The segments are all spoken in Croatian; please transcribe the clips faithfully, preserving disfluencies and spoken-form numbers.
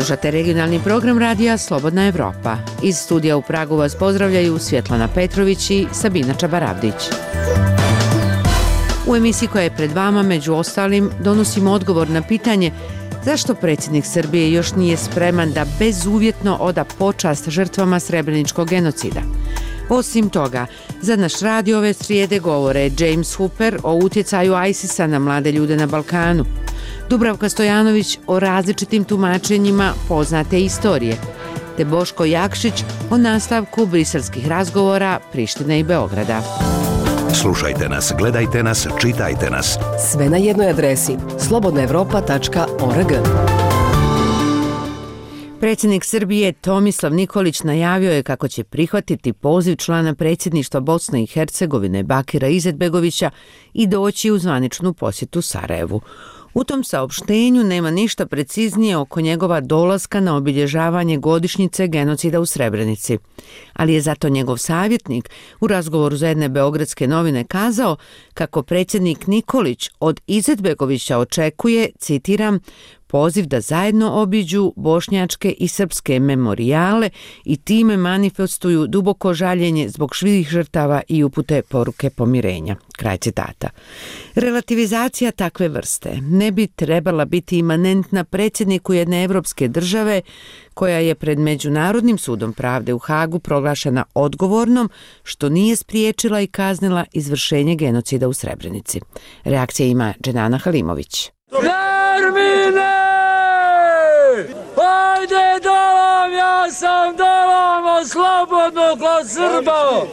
Slušate regionalni program radija Slobodna Evropa. Iz studija u Pragu vas pozdravljaju Svjetlana Petrović i Sabina Čabaravdić. U emisiji koja je pred vama, među ostalim, donosimo odgovor na pitanje zašto predsjednik Srbije još nije spreman da bezuvjetno oda počast žrtvama srebreničkog genocida. Osim toga, za naš radio ove srijede govore James Hooper o utjecaju ISIS-a na mlade ljude na Balkanu, Dubravka Stojanović o različitim tumačenjima poznate istorije, te Boško Jakšić o nastavku briselskih razgovora Prištine i Beograda. Slušajte nas, gledajte nas, čitajte nas. Sve na jednoj adresi slobodna evropa tačka org. Predsjednik Srbije Tomislav Nikolić najavio je kako će prihvatiti poziv člana predsjedništva Bosne i Hercegovine Bakira Izetbegovića i doći u zvaničnu posjetu Sarajevu. U tom saopštenju nema ništa preciznije oko njegova dolaska na obilježavanje godišnjice genocida u Srebrenici, ali je zato njegov savjetnik u razgovoru za jedne beogradske novine kazao kako predsjednik Nikolić od Izetbegovića očekuje, citiram, poziv da zajedno obiđu bošnjačke i srpske memorijale i time manifestuju duboko žaljenje zbog svih žrtava i upute poruke pomirenja. Kraj citata. Relativizacija takve vrste ne bi trebala biti imanentna predsjedniku jedne evropske države koja je pred Međunarodnim sudom pravde u Hagu proglašena odgovornom što nije spriječila i kaznila izvršenje genocida u Srebrenici. Reakcija ima Dženana Halimović. Nermine! Ajde dolam, ja sam dolam, slobodno kod Srba!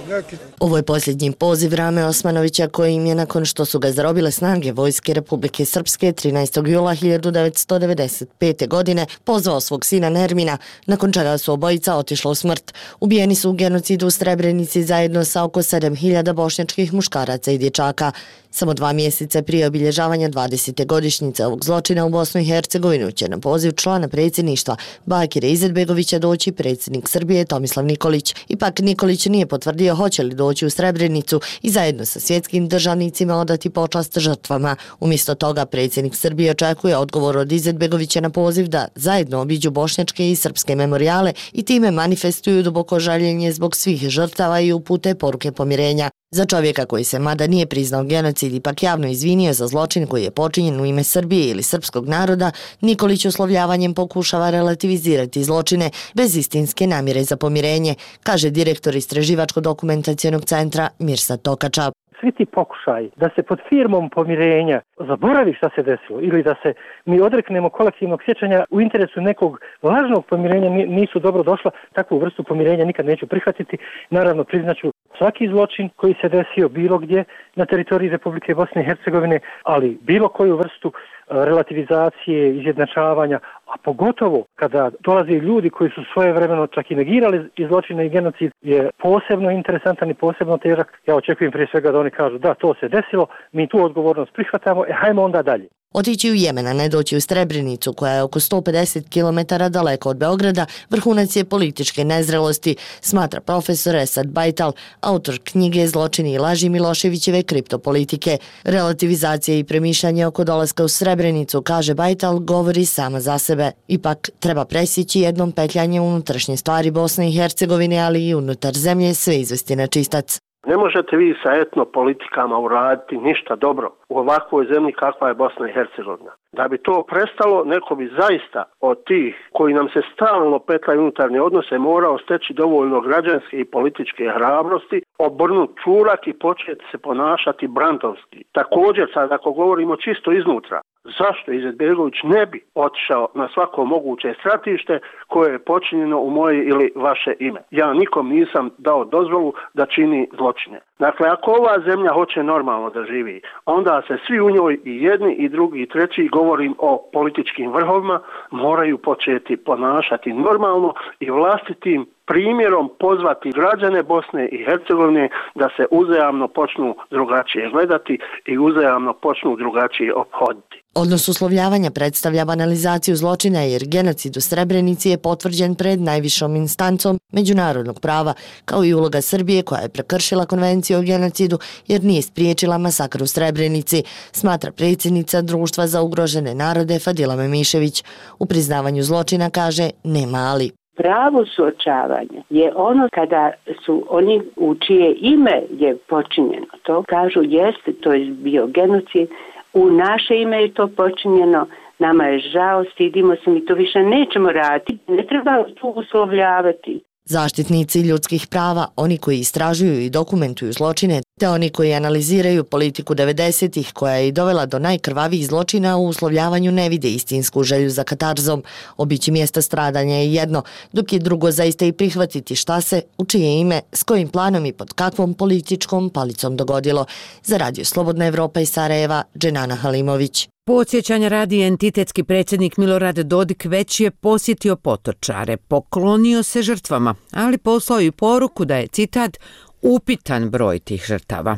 Ovo je posljednji poziv Rame Osmanovića koji im je nakon što su ga zarobile snage Vojske Republike Srpske trinaestog jula hiljadu devetsto devedeset pete. godine pozvao svog sina Nermina, nakon čega su obojica otišla u smrt. Ubijeni su u genocidu u Srebrenici zajedno sa oko sedam hiljada bošnjačkih muškaraca i dječaka. Samo dva mjeseca prije obilježavanja dvadesete godišnjice ovog zločina u Bosnu i Hercegovinu će na poziv člana predsjedništva Bakira Izetbegovića doći predsjednik Srbije Tomislav Nikolić. Ipak Nikolić nije potvrdio hoće li doći u Srebrenicu i zajedno sa svjetskim državnicima odati počast žrtvama. Umjesto toga predsjednik Srbije očekuje odgovor od Izetbegovića na poziv da zajedno obiđu bošnjačke i srpske memorijale i time manifestuju duboko žaljenje zbog svih žrtava i upute poruke pomirenja. Za čovjeka koji se mada nije priznao genocid ipak javno izvinio za zločin koji je počinjen u ime Srbije ili srpskog naroda, Nikolić uslovljavanjem pokušava relativizirati zločine bez istinske namjere za pomirenje, kaže direktor Istraživačko-dokumentacionog centra Mirsad Tokača. Svi ti pokušaj da se pod firmom pomirenja zaboravi šta se desilo ili da se mi odreknemo kolektivnog sjećanja u interesu nekog lažnog pomirenja nisu dobro došla. Takvu vrstu pomirenja nikad neću prihvatiti. Naravno, priznaću svaki zločin koji se desio bilo gdje na teritoriji Republike Bosne i Hercegovine, ali bilo koju vrstu relativizacije, izjednačavanja, a pogotovo kada dolaze ljudi koji su svojevremeno čak i negirali i zločine i genocid, je posebno interesantan i posebno težak. Ja očekujem prije svega da oni kažu da, to se desilo, mi tu odgovornost prihvatamo, e hajmo onda dalje. Otići u Jemen, a ne doći u Srebrenicu, koja je oko sto pedeset kilometara daleko od Beograda, vrhunac je političke nezrelosti, smatra profesor Esad Bajtal, autor knjige Zločini i laži Miloševićeve kriptopolitike. Relativizacija i premišljanje oko dolaska u Srebrenicu, kaže Bajtal, govori sama za sebe. Ipak treba presjeći jednom petljanje unutrašnje stvari Bosne i Hercegovine, ali i unutar zemlje sve izvesti na čistac. Ne možete vi sa etnopolitikama uraditi ništa dobro u ovakvoj zemlji kakva je Bosna i Hercegovina. Da bi to prestalo, neko bi zaista od tih koji nam se stalno petljaju unutarnje odnose morao steći dovoljno građanske i političke hrabrosti, obrnuti čurak i početi se ponašati brandovski. Također, sad ako govorimo čisto iznutra, zašto Izetbegović ne bi otišao na svako moguće stratište koje je počinjeno u moje ili vaše ime? Ja nikom nisam dao dozvolu da čini zločine. Dakle, ako ova zemlja hoće normalno da živi, onda se svi u njoj i jedni i drugi i treći, govorim o političkim vrhovima, moraju početi ponašati normalno i vlastitim primjerom pozvati građane Bosne i Hercegovine da se uzajamno počnu drugačije gledati i uzajamno počnu drugačije ophoditi. Odnos uslovljavanja predstavlja banalizaciju zločina jer genocid u Srebrenici je potvrđen pred najvišom instancom međunarodnog prava, kao i uloga Srbije koja je prekršila konvenciju o genocidu jer nije spriječila masakr u Srebrenici, smatra predsjednica Društva za ugrožene narode Fadila Memišević. U priznavanju zločina kaže nema ali. Pravo suočavanje je ono kada su oni u čije ime je počinjeno. To kažu jeste, to je bio genocid, u naše ime je to počinjeno, nama je žao, stidimo se, mi to više nećemo raditi, ne treba tu uslovljavati. Zaštitnici ljudskih prava, oni koji istražuju i dokumentuju zločine, te oni koji analiziraju politiku devedesetih koja je i dovela do najkrvavijih zločina, u uslovljavanju ne vide istinsku želju za katarzom. Obići mjesta stradanja je jedno, dok je drugo zaista i prihvatiti šta se, u čije ime, s kojim planom i pod kakvom političkom palicom dogodilo. Za Radio Slobodna Evropa iz Sarajeva, Dženana Halimović. Podsjećanja radi, entitetski predsjednik Milorad Dodik već je posjetio Potočare, poklonio se žrtvama, ali poslao i poruku da je, citat, upitan broj tih žrtava.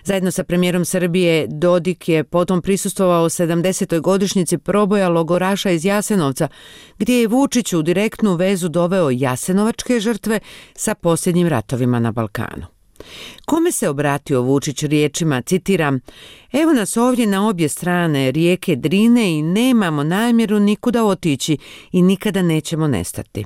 Zajedno sa premijerom Srbije Dodik je potom prisustvovao sedamdesetoj godišnjici proboja logoraša iz Jasenovca, gdje je Vučić u direktnu vezu doveo jasenovačke žrtve sa posljednjim ratovima na Balkanu. Kome se obratio Vučić riječima, citiram, evo nas ovdje na obje strane rijeke Drine i nemamo namjeru nikuda otići i nikada nećemo nestati.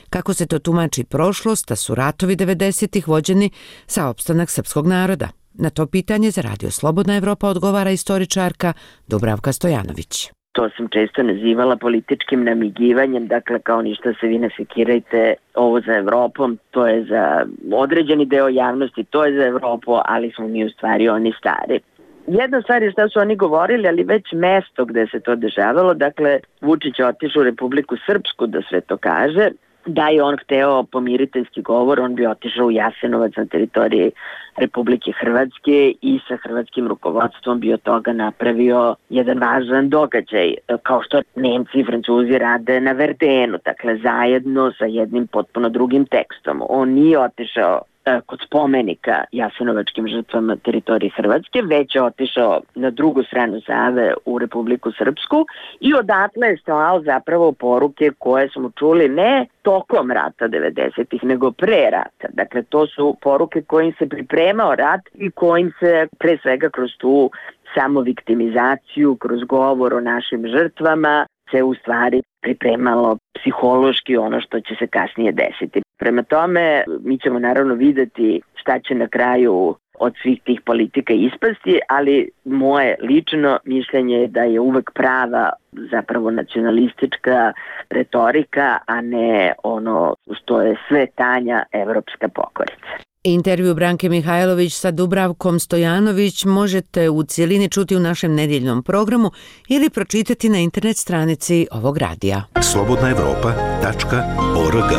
Kako se to tumači prošlost, da su ratovi devedesetih vođeni za opstanak srpskog naroda? Na to pitanje za Radio Slobodna Evropa odgovara istoričarka Dubravka Stojanović. To sam često nazivala političkim namigivanjem, dakle kao ništa se vi ne sekirajte, ovo za Evropom, to je za određeni deo javnosti, to je za Evropu, ali smo mi u stvari oni stari. Jedna stvar je šta su oni govorili, ali već mesto gde se to dešavalo, dakle Vučić je otišao u Republiku Srpsku da sve to kaže, da je on hteo pomiriteljski govor, on bi otišao u Jasenovac na teritoriji Republike Hrvatske i sa hrvatskim rukovodstvom bi od toga napravio jedan važan događaj, kao što Nemci i Francuzi rade na Verdenu, dakle zajedno sa jednim potpuno drugim tekstom. On nije otišao kod spomenika jasenovačkim žrtvama teritorije Hrvatske, već je otišao na drugu stranu Save u Republiku Srpsku i odatle je slao zapravo poruke koje smo čuli ne tokom rata devedesetih, nego pre rata. Dakle, to su poruke kojim se pripremao rat i kojim se pre svega kroz tu samoviktimizaciju, kroz govor o našim žrtvama se u stvari pripremalo psihološki ono što će se kasnije desiti. Prema tome, mi ćemo naravno videti šta će na kraju od svih tih politika ispasti, ali moje lično mišljenje je da je uvek prava zapravo nacionalistička retorika, a ne ono što je sve tanja evropska pokorica. Intervju Branke Mihajlović sa Dubravkom Stojanović možete u cijelini čuti u našem nedjeljnom programu ili pročitati na internet stranici ovog radija. slobodna evropa tačka org.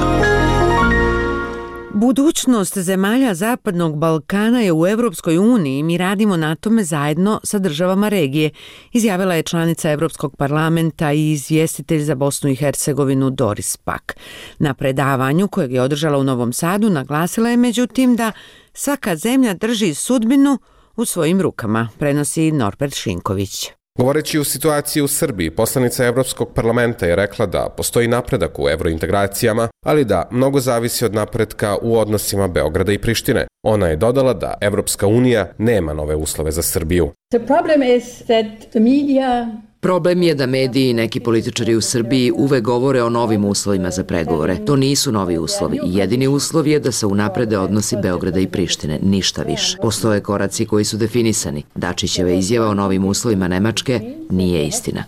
Budućnost zemalja Zapadnog Balkana je u Europskoj uniji i mi radimo na tome zajedno sa državama regije, izjavila je članica Europskog parlamenta i izvjestitelj za Bosnu i Hercegovinu Doris Pack. Na predavanju kojeg je održala u Novom Sadu naglasila je međutim da svaka zemlja drži sudbinu u svojim rukama, prenosi Norbert Šinković. Govoreći o situaciji u Srbiji, poslanica Evropskog parlamenta je rekla da postoji napredak u evrointegracijama, ali da mnogo zavisi od napretka u odnosima Beograda i Prištine. Ona je dodala da Evropska unija nema nove uslove za Srbiju. The problem is that the media Problem je da mediji i neki političari u Srbiji uvek govore o novim uslovima za pregovore. To nisu novi uslovi. Jedini uslov je da se unaprede odnosi Beograda i Prištine, ništa više. Postoje koraci koji su definisani. Dačićeva izjava o novim uslovima Nemačke nije istina.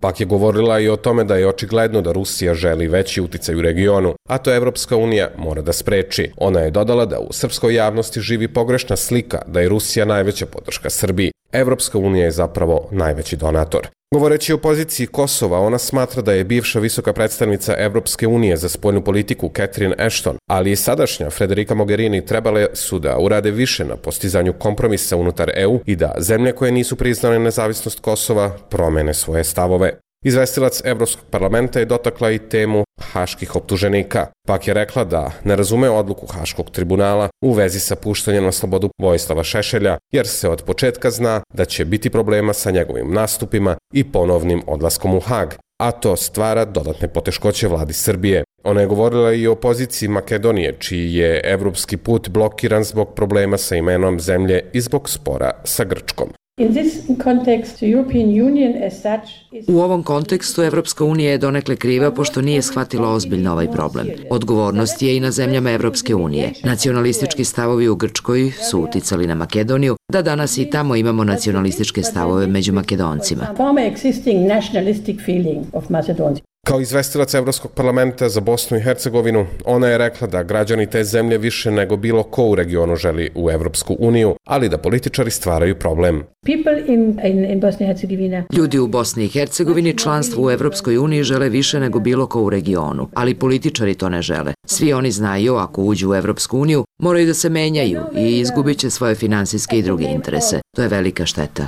Pak je govorila i o tome da je očigledno da Rusija želi veći uticaj u regionu, a to Evropska unija mora da spreči. Ona je dodala da u srpskoj javnosti živi pogrešna slika da je Rusija najveća podrška Srbiji. Evropska unija je zapravo najveći donator. Govoreći o poziciji Kosova, ona smatra da je bivša visoka predstavnica Evropske unije za spoljnu politiku Catherine Ashton, ali i sadašnja Federica Mogherini trebale su da urade više na postizanju kompromisa unutar E U i da zemlje koje nisu priznale nezavisnost Kosova promene svoje stavove. Izvestilac Evropskog parlamenta je dotakla i temu haških optuženika. Pak je rekla da ne razume odluku Haškog tribunala u vezi sa puštanjem na slobodu Vojislava Šešelja, jer se od početka zna da će biti problema sa njegovim nastupima i ponovnim odlaskom u Hag, a to stvara dodatne poteškoće vladi Srbije. Ona je govorila i o poziciji Makedonije, čiji je evropski put blokiran zbog problema sa imenom zemlje i zbog spora sa Grčkom. U ovom kontekstu Evropska unija je donekle kriva pošto nije shvatila ozbiljno ovaj problem. Odgovornost je i na zemljama Evropske unije. Nacionalistički stavovi u Grčkoj su uticali na Makedoniju, da danas i tamo imamo nacionalističke stavove među Makedoncima. Kao izvestilac Evropskog parlamenta za Bosnu i Hercegovinu, ona je rekla da građani te zemlje više nego bilo ko u regionu želi u Evropsku uniju, ali da političari stvaraju problem. Ljudi u Bosni i Hercegovini članstvo u Evropskoj uniji žele više nego bilo ko u regionu, ali političari to ne žele. Svi oni znaju, ako uđu u Evropsku uniju, moraju da se menjaju i izgubit će svoje finansijske i druge interese. To je velika šteta.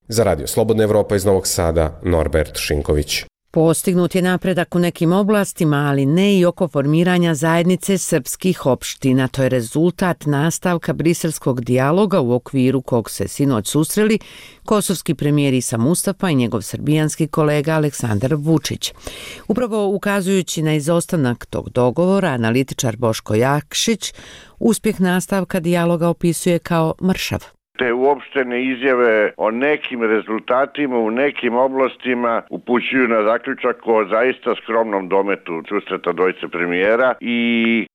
Za Radio Slobodna Evropa iz Novog Sada, Norbert Šinković. Postignut je napredak u nekim oblastima, ali ne i oko formiranja zajednice srpskih opština. To je rezultat nastavka briselskog dijaloga u okviru kog se sinoć susreli kosovski premijer Isa Mustafa i njegov srbijanski kolega Aleksandar Vučić. Upravo ukazujući na izostanak tog dogovora, analitičar Boško Jakšić uspjeh nastavka dijaloga opisuje kao mršav. Te uopštene izjave o nekim rezultatima u nekim oblastima upućuju na zaključak o zaista skromnom dometu susreta dvojice premijera i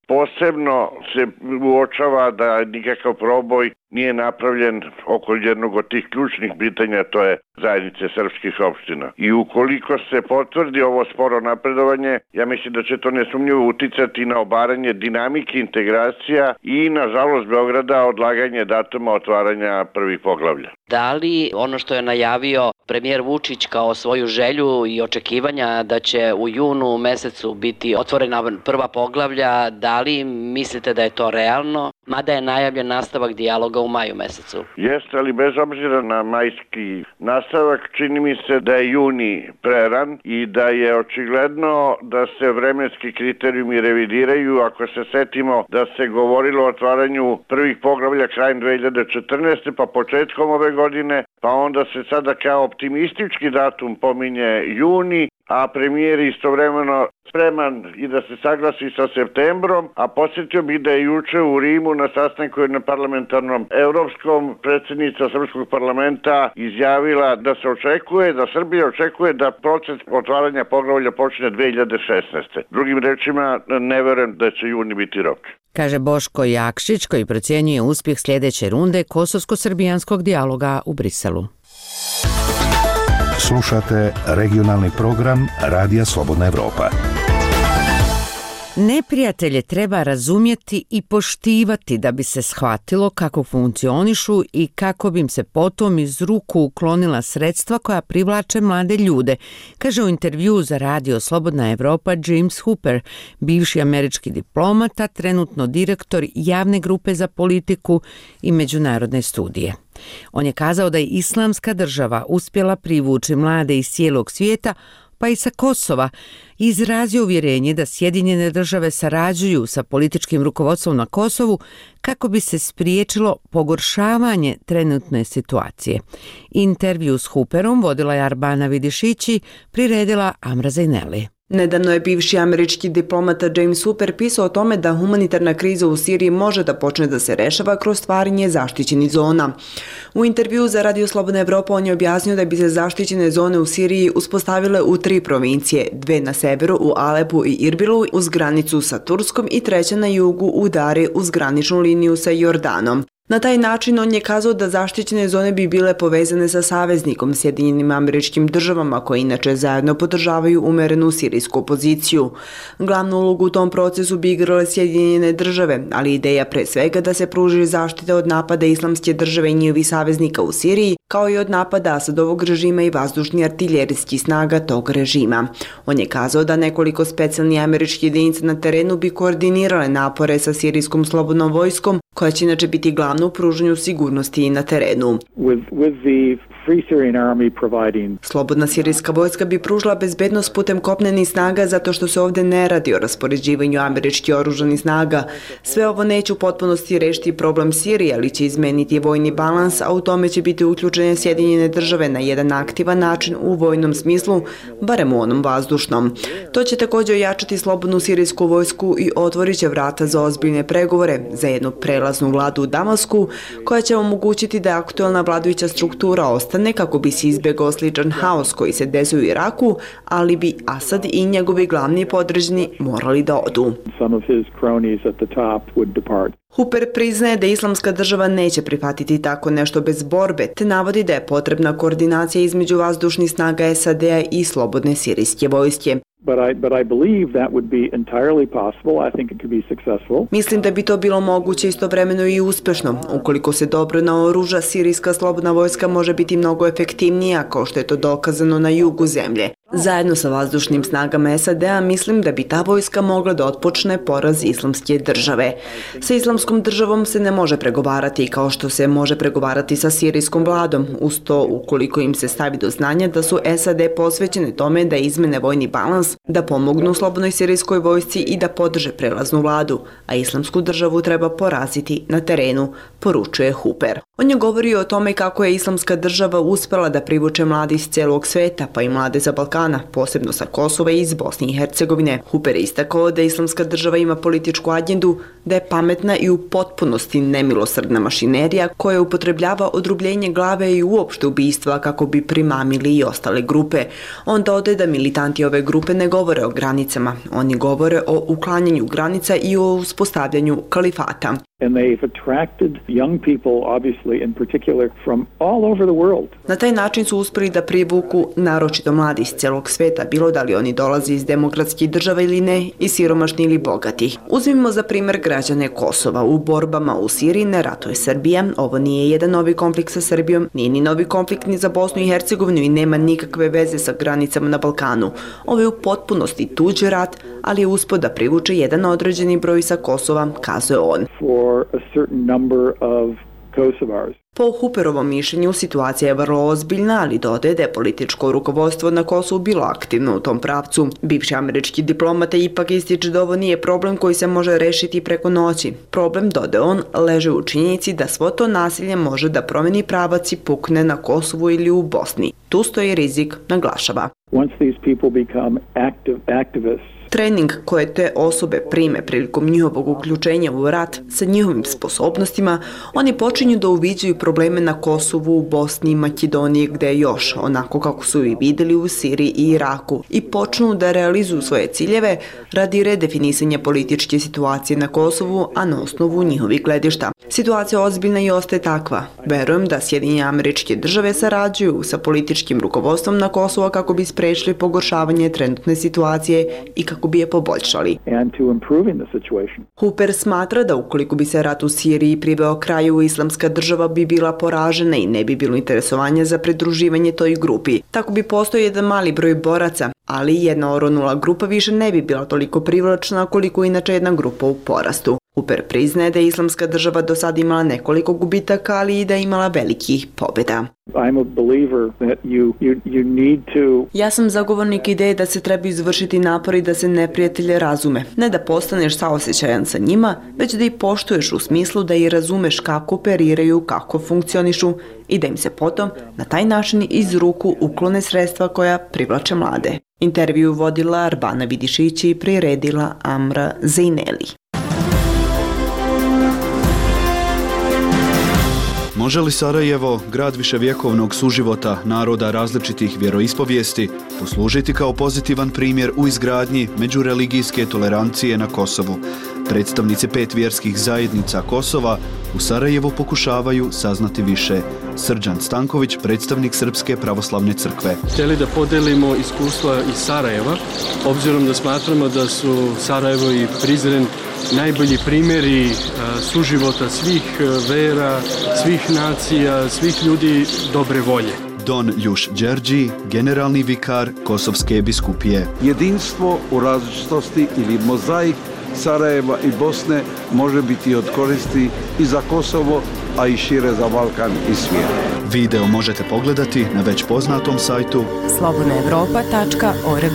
posebno se uočava da nikakav proboj nije napravljen oko jednog od tih ključnih pitanja, to je zajednice srpskih opština. I ukoliko se potvrdi ovo sporo napredovanje, ja mislim da će to nesumnjivo uticati na obaranje dinamike integracija i, nažalost, Beograda odlaganje datuma otvaranja prvih poglavlja. Da li ono što je najavio premijer Vučić kao svoju želju i očekivanja da će u junu mesecu biti otvorena prva poglavlja, da li mislite da je to realno, mada je najavljen nastavak dijaloga u maju mesecu? Jeste, ali bez obzira na majski nastavak, čini mi se da je juni preran i da je očigledno da se vremenski kriterijumi revidiraju. Ako se setimo da se govorilo o otvaranju prvih poglavlja krajem dve hiljade četrnaeste. pa početkom ove godine, pa onda se sada kao optimistički datum pominje juni, a premijer istovremeno spreman i da se saglasi sa septembrom, a podsjetio bih da je juče u Rimu na sastanku na parlamentarnom evropskom predsjednica Srpskog parlamenta izjavila da se očekuje, da Srbija očekuje da proces otvaranja poglavlja počne dve hiljade šesnaeste. Drugim rečima, ne verujem da će juni biti rok. Kaže Boško Jakšić, koji procjenjuje uspjeh sljedeće runde kosovsko-srbijanskog dijaloga u Briselu. Slušate regionalni program Radija Slobodna Evropa. Neprijatelje treba razumjeti i poštivati da bi se shvatilo kako funkcionišu i kako bi im se potom iz ruku uklonila sredstva koja privlače mlade ljude, kaže u intervju za Radio Slobodna Evropa James Hooper, bivši američki diplomata, trenutno direktor javne grupe za politiku i međunarodne studije. On je kazao da je Islamska država uspjela privući mlade iz cijelog svijeta, pa i sa Kosova, i izrazio uvjerenje da Sjedinjene države sarađuju sa političkim rukovodstvom na Kosovu kako bi se spriječilo pogoršavanje trenutne situacije. Intervju s Hooperom vodila je Arbana Vidišići, priredila Amra Zajneli. Nedavno je bivši američki diplomata James Hooper pisao o tome da humanitarna kriza u Siriji može da počne da se rešava kroz stvaranje zaštićenih zona. U intervju za Radio Slobodna Evropa on je objasnio da bi se zaštićene zone u Siriji uspostavile u tri provincije, dve na severu u Alepu i Irbilu uz granicu sa Turskom i treća na jugu u Dari uz graničnu liniju sa Jordanom. Na taj način on je kazao da zaštićene zone bi bile povezane sa saveznikom Sjedinjenim Američkim Državama, koje inače zajedno podržavaju umerenu sirijsku opoziciju. Glavnu ulogu u tom procesu bi igrale Sjedinjene Države, ali ideja pre svega da se pruži zaštita od napada Islamske države i njihovih saveznika u Siriji, kao i od napada Asadovog režima i vazdušni artiljerijskih snaga tog režima. On je kazao da nekoliko specijalnih američkih jedinica na terenu bi koordinirale napore sa sirijskom slobodnom vojskom, koja će inače biti glavna glavno u pružanju sigurnosti i na terenu. With, with the Free Syrian Army providing... Slobodna sirijska vojska bi pružila bezbednost putem kopnenih snaga zato što se ovdje ne radi o raspoređivanju američkih oružanih snaga. Sve ovo neće u potpunosti rešiti problem Sirije, ali će izmeniti vojni balans, a u tome će biti uključene Sjedinjene države na jedan aktivan način u vojnom smislu, barem u onom vazdušnom. To će također ojačati slobodnu sirijsku vojsku i otvorit će vrata za ozbiljne pregovore za jednu prelaznu vladu u Damasku, koja će omogućiti da aktualna vladajuća struktura ostane kako bi se izbjegao sličan haos koji se desio u Iraku, ali bi Asad i njegovi glavni podređeni morali da odu. Hooper priznaje da Islamska država neće prihvatiti tako nešto bez borbe, te navodi da je potrebna koordinacija između vazdušnih snaga S A D-a i slobodne sirijske vojske. But I, but I believe that would be entirely possible. I think it could be successful. Mislim da bi to bilo moguće istovremeno i uspešno. Ukoliko se dobro naoruža, sirijska slobodna vojska može biti mnogo efektivnija, kao što je to dokazano na jugu zemlje. Zajedno sa vazdušnim snagama S A D-a mislim da bi ta vojska mogla da otpočne poraz Islamske države. Sa Islamskom državom se ne može pregovarati kao što se može pregovarati sa sirijskom vladom, uz to ukoliko im se stavi do znanja da su S A D posvećene tome da izmene vojni balans, da pomognu slobodnoj sirijskoj vojsci i da podrže prelaznu vladu, a Islamsku državu treba poraziti na terenu, poručuje Hooper. On je govorio o tome kako je Islamska država uspela da privuče mlade iz celog sveta, pa i mlade za Balkana, posebno sa Kosova i iz Bosne i Hercegovine. Hooper je istakao da Islamska država ima političku agendu, da je pametna i u potpunosti nemilosrdna mašinerija koja upotrebljava odrubljenje glave i uopšte ubistva kako bi primamili i ostale grupe. On dodaje da militanti ove grupe ne govore o granicama, oni govore o uklanjanju granica i o uspostavljanju kalifata. And they've attracted young people, obviously, in particular, from all over the world. Na taj način su uspeli da privuku naročito mladi iz celog sveta, bilo da li oni dolaze iz demokratskih država ili ne, i siromašni ili bogati. Uzmimo za primjer građane Kosova. U borbama u Siriji ne ratuje Srbija. Ovo nije jedan novi konflikt sa Srbijom, nije ni novi konflikt ni za Bosnu i Hercegovinu i nema nikakve veze sa granicama na Balkanu. Ovo je u potpunosti tuđi rat, ali je uspio da privuče jedan određeni broj sa Kosova, kazuje on. A certain number of Kosovars. Po Hooperovom mišljenju situacija je vrlo ozbiljna, ali dodaje da je političko rukovodstvo na Kosovu bilo aktivno u tom pravcu. Bivši američki diplomata ipak ističe da ovo nije problem koji se može rešiti preko noći. Problem, dodaje on, leže u činjenici da svo to nasilje može da promeni pravac i pukne na Kosovu ili u Bosni. Tu stoji rizik, naglašava. Once these people become active activists, trening koje te osobe prime prilikom njihovog uključenja u rat sa njihovim sposobnostima, oni počinju da uviđaju probleme na Kosovu, u Bosni i Makedoniji, gde još, onako kako su i videli u Siriji i Iraku, i počnu da realizuju svoje ciljeve radi redefinisanja političke situacije na Kosovu, a na osnovu njihovih gledišta. Situacija ozbiljna i ostaje takva. Verujem da Sjedinjene Američke države sarađuju sa političkim rukovodstvom na Kosovo kako bi sprečili pogoršavanje trenutne situacije i kako bi je poboljšali. Hooper smatra da ukoliko bi se rat u Siriji priveo kraju, Islamska država bi bila poražena i ne bi bilo interesovanja za pridruživanje toj grupi. Tako bi postojao jedan mali broj boraca, ali jedna oronula grupa više ne bi bila toliko privlačna koliko inače jedna grupa u porastu. Hooper priznaje da je Islamska država do sada imala nekoliko gubitaka, ali i da je imala velikih pobjeda. I'm a believer that you, you, you need to... Ja sam zagovornik ideje da se treba izvršiti napori da se neprijatelje razume. Ne da postaneš saosećajan sa njima, već da ih poštuješ u smislu da i razumeš kako operiraju, kako funkcionišu i da im se potom na taj način iz ruku uklone sredstva koja privlače mlade. Intervju vodila Arbana Vidišić i priredila Amra Zejneli. Može li Sarajevo, grad viševjekovnog suživota naroda različitih vjeroispovijesti, poslužiti kao pozitivan primjer u izgradnji međureligijske tolerancije na Kosovu? Predstavnici pet vjerskih zajednica Kosova u Sarajevu pokušavaju saznati više. Srđan Stanković, predstavnik Srpske pravoslavne crkve. Htjeli da podelimo iskustva iz Sarajeva, obzirom da smatramo da su Sarajevo i Prizren najbolji primjeri suživota svih vera, svih nacija, svih ljudi dobre volje. Don Ljuš Đerđi, generalni vikar Kosovske biskupije. Jedinstvo u različitosti ili mozaik Sarajeva i Bosne može biti od koristi i za Kosovo a i šire za Balkan i svijet. Video možete pogledati na već poznatom sajtu slobodna evropa tačka org.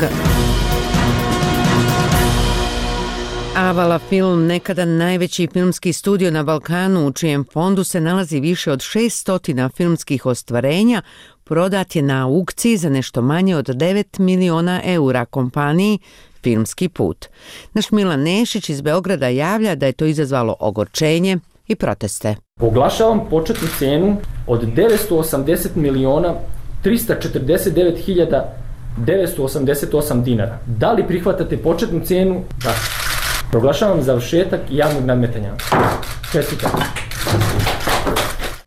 Avala Film, nekada najveći filmski studio na Balkanu, u čijem fondu se nalazi više od šesto filmskih ostvarenja, prodat je na aukciji za nešto manje od devet miliona eura kompaniji Filmski put. Naš Milan Nešić iz Beograda javlja da je to izazvalo ogorčenje i proteste. Oglašavam početnu cenu od devetsto osamdeset miliona trista četrdeset devet hiljada devetsto osamdeset osam dinara. Da li prihvatate početnu cenu? Da. Proglašavam završetak javnog nadmetanja. Čestitam.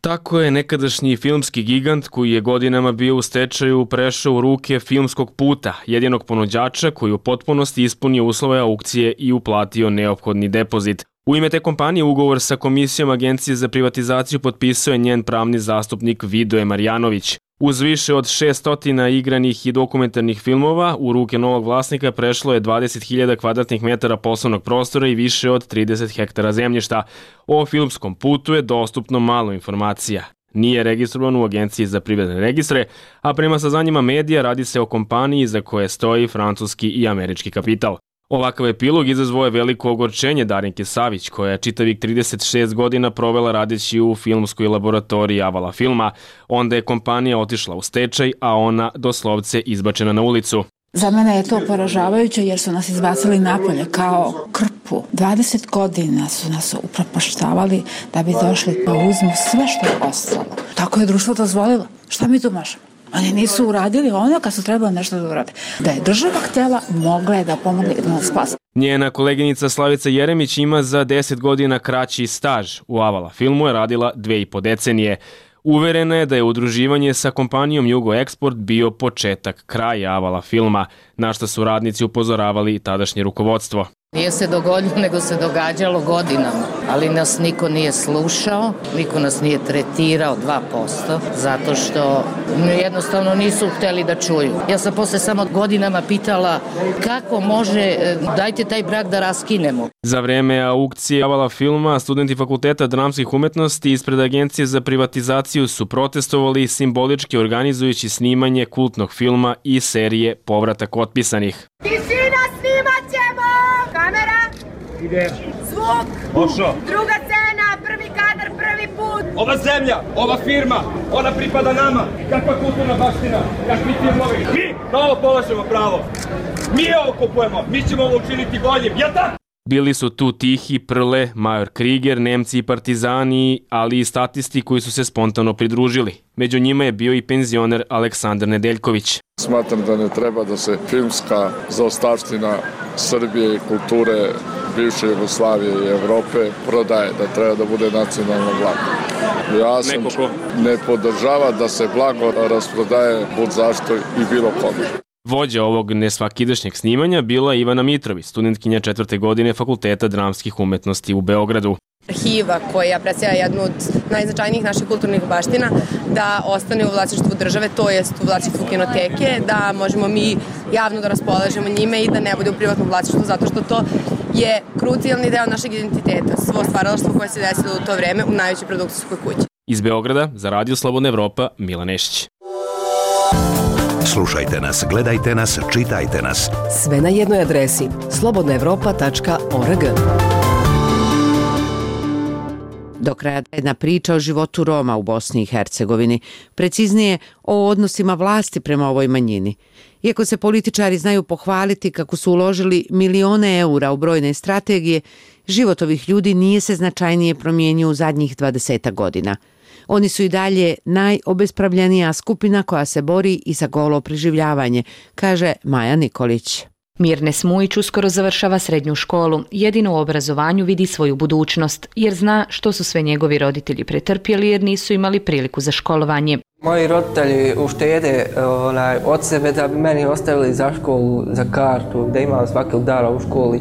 Tako je nekadašnji filmski gigant koji je godinama bio u stečaju prešao u ruke Filmskog puta, jedinog ponuđača koji u potpunosti ispunio uslove aukcije i uplatio neophodni depozit. U ime te kompanije ugovor sa Komisijom Agencije za privatizaciju potpisao je njen pravni zastupnik Vidoje Marjanović. Uz više od šessto igranih i dokumentarnih filmova, u ruke novog vlasnika prešlo je dvadeset hiljada kvadratnih metara poslovnog prostora i više od trideset hektara zemljišta. O Filmskom putu je dostupno malo informacija. Nije registrovan u Agenciji za privredne registre, a prema saznanjima medija radi se o kompaniji za koje stoji francuski i američki kapital. Ovakav epilog izazvao je veliko ogorčenje Darinke Savić, koja je čitavih trideset šest godina provela radeći u filmskoj laboratoriji Avala Filma. Onda je kompanija otišla u stečaj, a ona doslovce izbačena na ulicu. Za mene je to poražavajuće jer su nas izbacili napolje kao krpu. dvadeset godina su nas upropaštavali da bi došli pa uzmu sve što je ostalo. Tako je društvo dozvolilo. Šta mi tu možemo? Oni nisu uradili ono kad su trebali nešto da urade. Da je država htjela, mogla je da pomogne da nas spasi. Njena koleginica Slavica Jeremić ima za deset godina kraći staž. U Avala Filmu je radila dve i po decenije. Uverena je da je udruživanje sa kompanijom Jugo Eksport bio početak kraja Avala Filma, na što su radnici upozoravali tadašnje rukovodstvo. Nije se dogodilo, nego se događalo godinama, ali nas niko nije slušao, niko nas nije tretirao dva posto, zato što jednostavno nisu hteli da čuju. Ja sam posle samo godinama pitala kako može, dajte taj brak da raskinemo. Za vreme aukcije Avala Filma, studenti Fakulteta dramskih umetnosti ispred Agencije za privatizaciju su protestovali simbolički organizujući snimanje kultnog filma i serije Povratak otpisanih. Tišina, snimat ćemo! Kamera! Ide! Zvuk! Pošao! Druga scena, prvi kadar, prvi put! Ova zemlja, ova firma, ona pripada nama! Kakva kulturna baština, kakvi filmovi! Mi na ovo polažemo pravo! Mi ovo kupujemo, mi ćemo ovo učiniti boljim, jel tako? Bili su tu Tihi, Prle, Major Kriger, Nemci i Partizani, ali i statisti koji su se spontano pridružili. Među njima je bio i penzioner Aleksandar Nedeljković. Smatram da ne treba da se filmska zaostavština Srbije i kulture bivše Jugoslavije i Evrope prodaje, da treba da bude nacionalno blago. Ja sam ne podržava da se blago rasprodaje bud zašto i bilo kome. Vođa ovog nesvakidašnjeg snimanja bila Ivana Mitrović, studentkinja četvrte godine Fakulteta dramskih umetnosti u Beogradu. Arhiva koja predstavlja jednu od najznačajnijih naših kulturnih baština da ostane u vlasništvu države, to jest u vlasništvu kinoteke, da možemo mi javno da raspolažemo njime i da ne bude u privatnom vlasništvu, zato što to je krucijalni deo našeg identiteta, svo stvaralaštvo koje se desilo u to vreme u najvećoj produkcijskoj kući. Iz Beograda za Radio Slobodna Evropa, Milan Nešić. Slušajte nas, gledajte nas, čitajte nas. Sve na jednoj adresi slobodna evropa tačka org. Do kraja jedna priča o životu Roma u Bosni i Hercegovini, preciznije o odnosima vlasti prema ovoj manjini. Iako se političari znaju pohvaliti kako su uložili milione eura u brojne strategije, život ovih ljudi nije se značajnije promijenio u zadnjih dvadesetak godina. Oni su i dalje najobespravljenija skupina koja se bori i za golo preživljavanje, kaže Maja Nikolić. Mirne Smujić uskoro završava srednju školu. Jedino u obrazovanju vidi svoju budućnost, jer zna što su sve njegovi roditelji pretrpjeli jer nisu imali priliku za školovanje. Moji roditelji uštede onaj, od sebe da bi meni ostavili za školu, za kartu, da imam svakog dana u školi,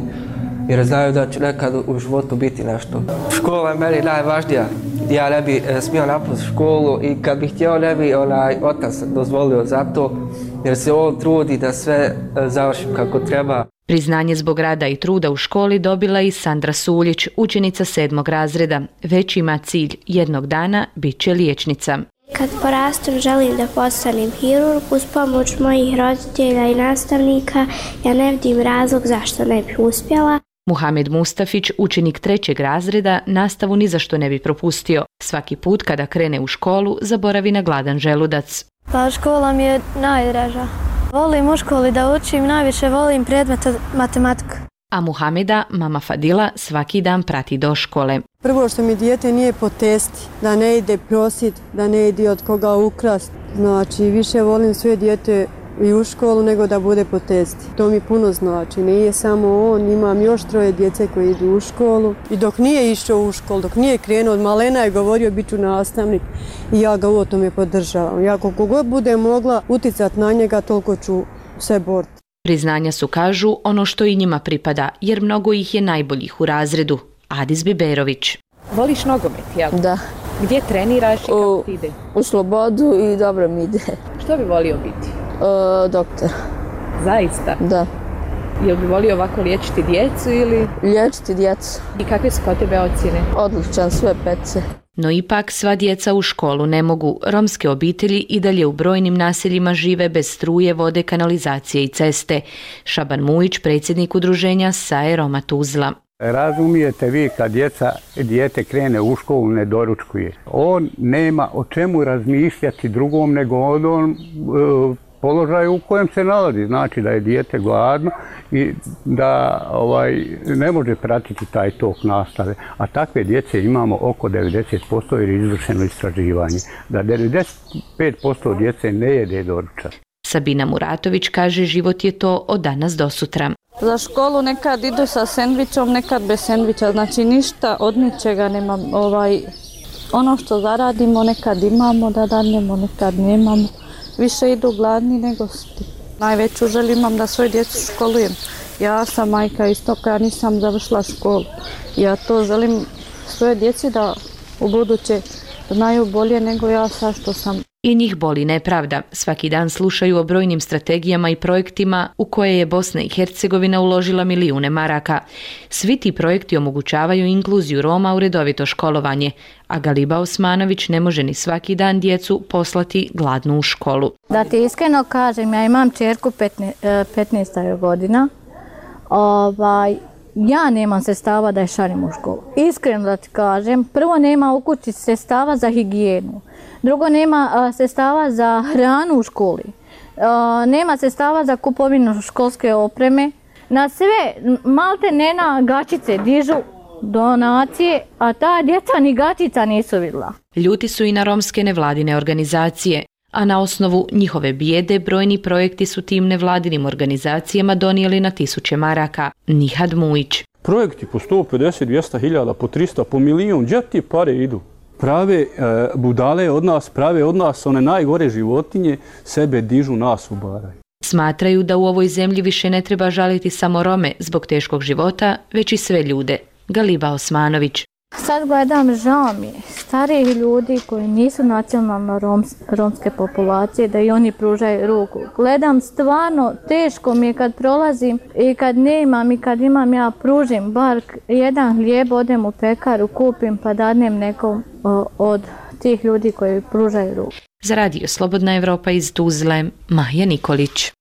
jer znaju da ću nekad u životu biti nešto. Škola je meni najvažnija. Ja ne bi smio napustiti školu i kad bih htio ne bi onaj otac dozvolio za to, jer se on trudi da sve završim kako treba. Priznanje zbog rada i truda u školi dobila i Sandra Suljić, učenica sedmog razreda. Već ima cilj, jednog dana bit će liječnica. Kad porastem želim da postanem hirurg. Uz pomoć mojih roditelja i nastavnika ja ne vidim razlog zašto ne bi uspjela. Muhamed Mustafić, učenik trećeg razreda, nastavu ni zašto ne bi propustio. Svaki put kada krene u školu, zaboravi na gladan želudac. Pa škola mi je najdraža. Volim u školi da učim, najviše volim predmet matematiku. A Muhameda, mama Fadila, svaki dan prati do škole. Prvo što mi dijete nije po testi, da ne ide prosit, da ne ide od koga ukrast. Znači, više volim sve dijete i u školu nego da bude po testi. To mi puno znači. Nije samo on, imam još troje djece koji idu u školu. I dok nije išao u školu, dok nije krenuo, od malena je govorio bit ću nastavnik i ja ga u tome podržavam. Ja koliko god budem mogla uticati na njega, toliko ću se boriti. Priznanja su, kažu, ono što i njima pripada, jer mnogo ih je najboljih u razredu. Adis Biberović. Voliš nogomet, jel? Da. Gdje treniraš i kako ti ide? U Slobodu i dobro mi ide. Što bi volio biti? Uh, doktor. Zaista? Da. Jel bi volio ovako liječiti djecu ili? Liječiti djecu. I kakve su kod tebe ocjene? Odličan, sve pece. No ipak sva djeca u školu ne mogu. Romske obitelji i dalje u brojnim naseljima žive bez struje, vode, kanalizacije i ceste. Šaban Mujić, predsjednik udruženja S A E Roma Tuzla. Razumijete vi kad djeca, dijete krene u školu, ne doručkuje. On nema o čemu razmišljati drugom nego o onom e, položaju u kojem se nalazi. Znači da je dijete gladno i da ovaj, ne može pratiti taj tok nastave. A takve djece imamo oko devedeset posto jer je izvršeno istraživanje. Da devedeset pet posto djece ne jede doručak. Sabina Muratović kaže život je to od danas do sutra. Za školu nekad idu sa sendvičom, nekad bez sendviča, znači ništa od ničega nema. Ovaj, ono što zaradimo nekad imamo da dadnemo, nekad nemamo. Više idu gladni nego sti. Najveću želju imam da svoju djecu školujem. Ja sam majka isto koja nisam završila školu. Ja to želim svoje djeci da u buduće znaju bolje nego ja sad što sam. I njih boli nepravda. Svaki dan slušaju o brojnim strategijama i projektima u koje je Bosna i Hercegovina uložila milijune maraka. Svi ti projekti omogućavaju inkluziju Roma u redovito školovanje, a Galiba Osmanović ne može ni svaki dan djecu poslati gladnu u školu. Da ti iskreno kažem, ja imam čerku petnaest godina. Ovaj, ja nemam sredstava da je šaljem u školu. Iskreno da ti kažem, prvo nema u kući sredstava za higijenu. Drugo, nema a, sredstava za hranu u školi. A, nema sredstava za kupovinu školske opreme. Na sve, malte ne na gačice dižu donacije, a ta djeca ni gačica nisu vidjela. Ljuti su i na romske nevladine organizacije, a na osnovu njihove bijede brojni projekti su tim nevladinim organizacijama donijeli na tisuće maraka. Nihad Mujić. Projekti po sto pedeset, dvjesto hiljada, po tristo, po milijun, gdje ti pare idu? Prave e, budale od nas, prave od nas one najgore životinje, sebe dižu, nas ubaraju. Smatraju da u ovoj zemlji više ne treba žaliti samo Rome zbog teškog života, već i sve ljude. Galiba Osmanović. Sad gledam, žao mi je, stariji ljudi koji nisu nacionalno roms, romske populacije, da i oni pružaju ruku. Gledam, stvarno teško mi je kad prolazim i kad nemam i kad imam, ja pružim bar jedan hlijeb, odem u pekaru, kupim pa dadnem nekom o, od tih ljudi koji pružaju ruku. Za radio Slobodna Evropa iz Tuzle, Maja Nikolić.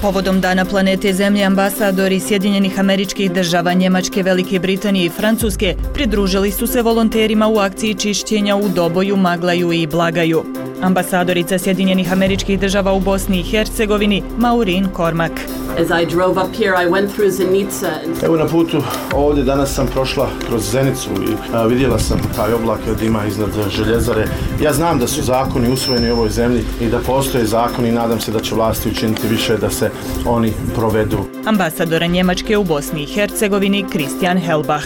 Povodom Dana planete Zemlje ambasadori Sjedinjenih Američkih Država, Njemačke, Velike Britanije i Francuske pridružili su se volonterima u akciji čišćenja u Doboju, Maglaju i Blagaju. Ambasadorica Sjedinjenih Američkih Država u Bosni i Hercegovini, Maureen Cormack. Evo na putu ovdje danas sam prošla kroz Zenicu i a, vidjela sam taj oblak od dima iznad željezare. Ja znam da su zakoni usvojeni u ovoj zemlji i da postoje zakoni i nadam se da će vlasti učiniti više da se oni provedu. Ambasadora Njemačke u Bosni i Hercegovini Christian Helbach.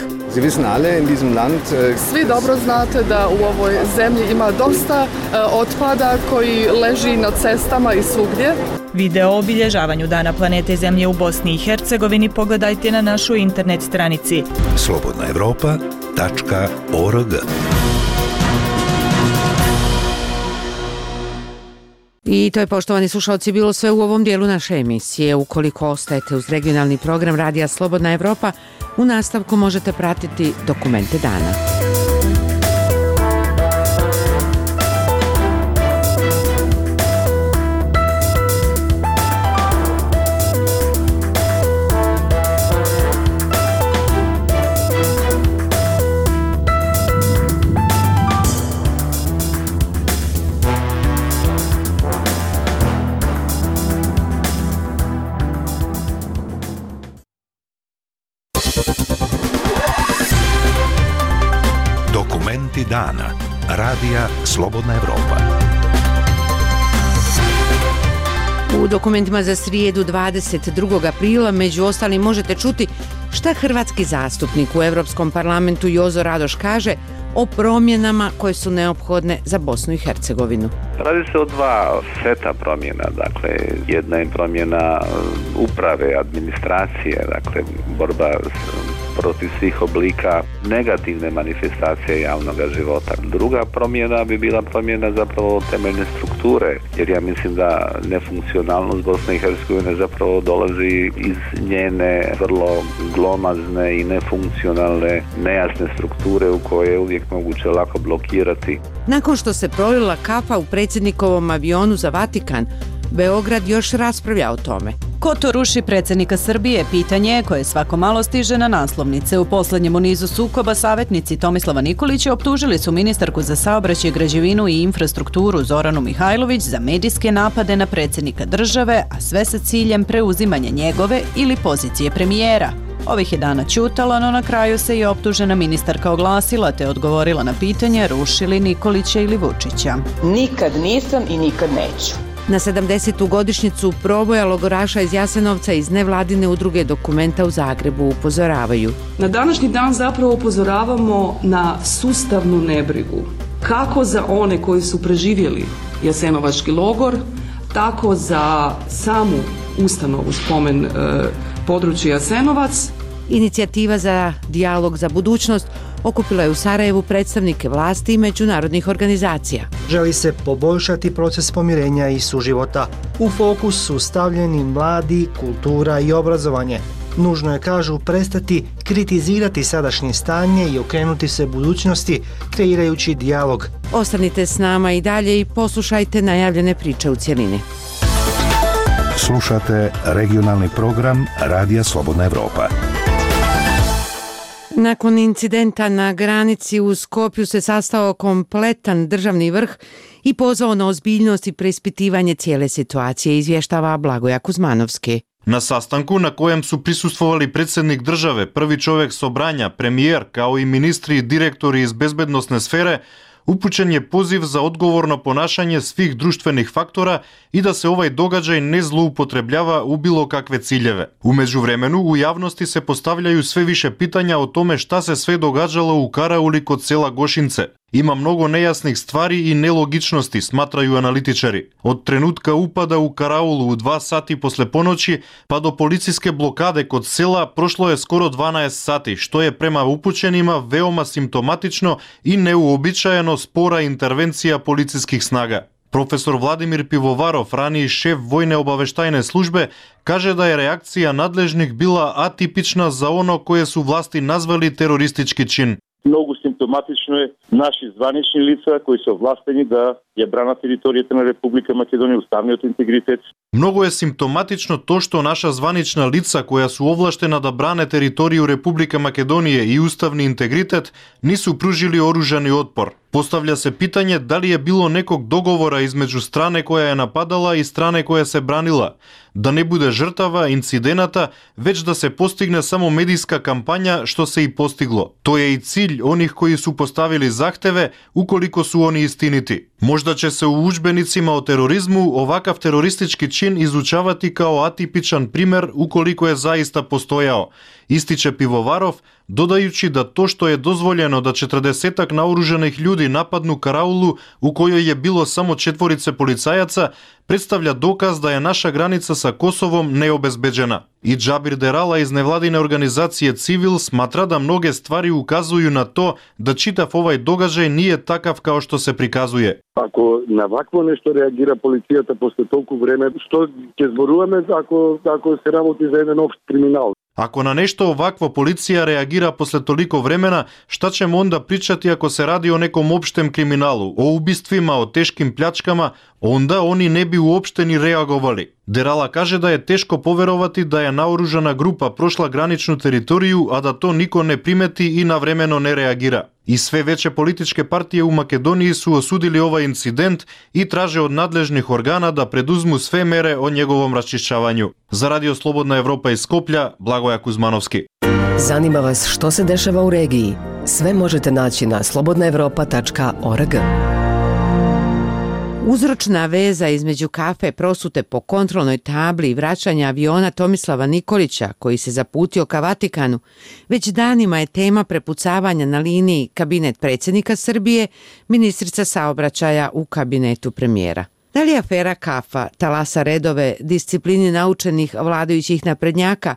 Svi dobro znate da u ovoj zemlji ima dosta otpada koji leži na cestama i svugdje. Video o obilježavanju Dana planete Zemlje u Bosni i Hercegovini pogledajte na našoj internet stranici slobodna evropa tačka org. I to je, poštovani slušalci, bilo sve u ovom dijelu naše emisije. Ukoliko ostajete uz regionalni program Radija Slobodna Evropa, u nastavku možete pratiti Dokumente dana. Dokumenti dana. Radija Slobodna Evropa. U dokumentima za srijedu dvadeset drugog aprila među ostalim možete čuti šta hrvatski zastupnik u Europskom parlamentu Jozo Radoš kaže o promjenama koje su neophodne za Bosnu i Hercegovinu. Radi se o dva seta promjena, dakle jedna je promjena uprave, administracije, dakle borba protiv svih oblika negativne manifestacije javnog života. Druga promjena bi bila promjena zapravo temeljne strukture, jer ja mislim da nefunkcionalnost Bosne i Hercegovine zapravo dolazi iz njene vrlo glomazne i nefunkcionalne, nejasne strukture u koje je uvijek moguće lako blokirati. Nakon što se prolila kafa u predsjednikovom avionu za Vatikan, Beograd još raspravlja o tome. Ko to ruši predsjednika Srbije? Pitanje koje svako malo stiže na naslovnice. U posljednjem u nizu sukoba savjetnici Tomislava Nikolića optužili su ministarku za saobraćaj, građevinu i infrastrukturu Zoranu Mihajlović za medijske napade na predsjednika države, a sve sa ciljem preuzimanja njegove ili pozicije premijera. Ovih je dana ćutala, no na kraju se i optužena ministarka oglasila te odgovorila na pitanje ruši li Nikolića ili Vučića. Nikad nisam i nikad neću. Na sedamdesetu godišnjicu proboja logoraša iz Jasenovca iz nevladine udruge Dokumenta u Zagrebu upozoravaju. Na današnji dan zapravo upozoravamo na sustavnu nebrigu. Kako za one koji su preživjeli Jasenovački logor, tako za samu ustanovu spomen e, područja Jasenovac. Inicijativa za dijalog za budućnost okupila je u Sarajevu predstavnike vlasti i međunarodnih organizacija. Želi se poboljšati proces pomirenja i suživota. U fokus su stavljeni mladi, kultura i obrazovanje. Nužno je, kažu, prestati kritizirati sadašnje stanje i okrenuti se budućnosti, kreirajući dijalog. Ostanite s nama i dalje i poslušajte najavljene priče u cjelini. Slušate regionalni program Radija Slobodna Evropa. Nakon incidenta na granici u Skopju se sastao kompletan državni vrh i pozvao na ozbiljnost i preispitivanje cijele situacije, izvještava Blagoja Kuzmanovski. Na sastanku na kojem su prisustvovali predsjednik države, prvi čovjek Sobranja, premijer, kao i ministri i direktori iz bezbednosne sfere, upućen je poziv za odgovorno ponašanje svih društvenih faktora i da se ovaj događaj ne zloupotrebljava u bilo kakve ciljeve. U međuvremenu u javnosti se postavljaju sve više pitanja o tome šta se sve događalo u karauli kod sela Gošince. Ima mnogo nejasnih stvari i nelogičnosti, smatraju analitičari. Od trenutka upada u karaulu u dva sati posle ponoći pa do policijske blokade kod sela prošlo je skoro dvanaest sati, što je prema upućenima veoma simptomatično i neuobičajeno spora intervencija policijskih snaga. Profesor Vladimir Pivovarov, raniji šef vojne obaveštajne službe, kaže da je reakcija nadležnih bila atipična za ono koje su vlasti nazvali teroristički čin. Много симптоматично е наши званични лица кои се овластени да ја бранат територијата на Република Македонија, уставниот интегритет. Mnogo je simptomatično to što naša zvanična lica koja su ovlaštena da brane teritoriju Republike Makedonije i ustavni integritet nisu pružili oružani otpor. Postavlja se pitanje da li je bilo nekog dogovora između strane koja je napadala i strane koja se branila. Da ne bude žrtava, incidenata, već da se postigne samo medijska kampanja, što se i postiglo. To je i cilj onih koji su postavili zahteve, ukoliko su oni istiniti. Možda će se u udžbenicima o terorizmu ovakav teroristički čin izučavati kao atipičan primjer ukoliko je zaista postojao, ističe Pivovarov, dodajući da to što je dozvoljeno da četrdesetak naoružanih ljudi napadnu karaulu u kojoj je bilo samo četvorice policajaca, predstavlja dokaz da je naša granica sa Kosovom neobezbeđena. I Džabir Derala iz nevladine organizacije Civil smatra da mnoge stvari ukazuju na to da čitav ovaj događaj nije takav kao što se prikazuje. Ako na ovakvo nešto reagira policijata posle toliko vreme, što će zborujeme ako, ako se ravoti za jedan opšt kriminal? Ako na nešto ovakvo policija reagira posle toliko vremena, šta ćemo onda pričati ako se radi o nekom opštem kriminalu, o ubistvima, o teškim pljačkama, onda oni ne bi uopšte ni reagovali. Derala kaže da je teško poverovati da je naoružana grupa prošla graničnu teritoriju, a da to niko ne primeti i navremeno ne reagira. I sve veće političke partije u Makedoniji su osudili ovaj incident i traže od nadležnih organa da preduzmu sve mere o njegovom raščišćavanju. Za Radio Slobodna Evropa iz Skoplja, Blagoja Kuzmanovski. Zanima vas što se dešava u regiji? Sve možete naći na slobodna evropa tačka org. Uzročna veza između kafe prosute po kontrolnoj tabli i vraćanja aviona Tomislava Nikolića, koji se zaputio ka Vatikanu, već danima je tema prepucavanja na liniji kabinet predsjednika Srbije, ministrica saobraćaja u kabinetu premijera. Da li afera kafa talasa redove disciplini naučenih vladajućih naprednjaka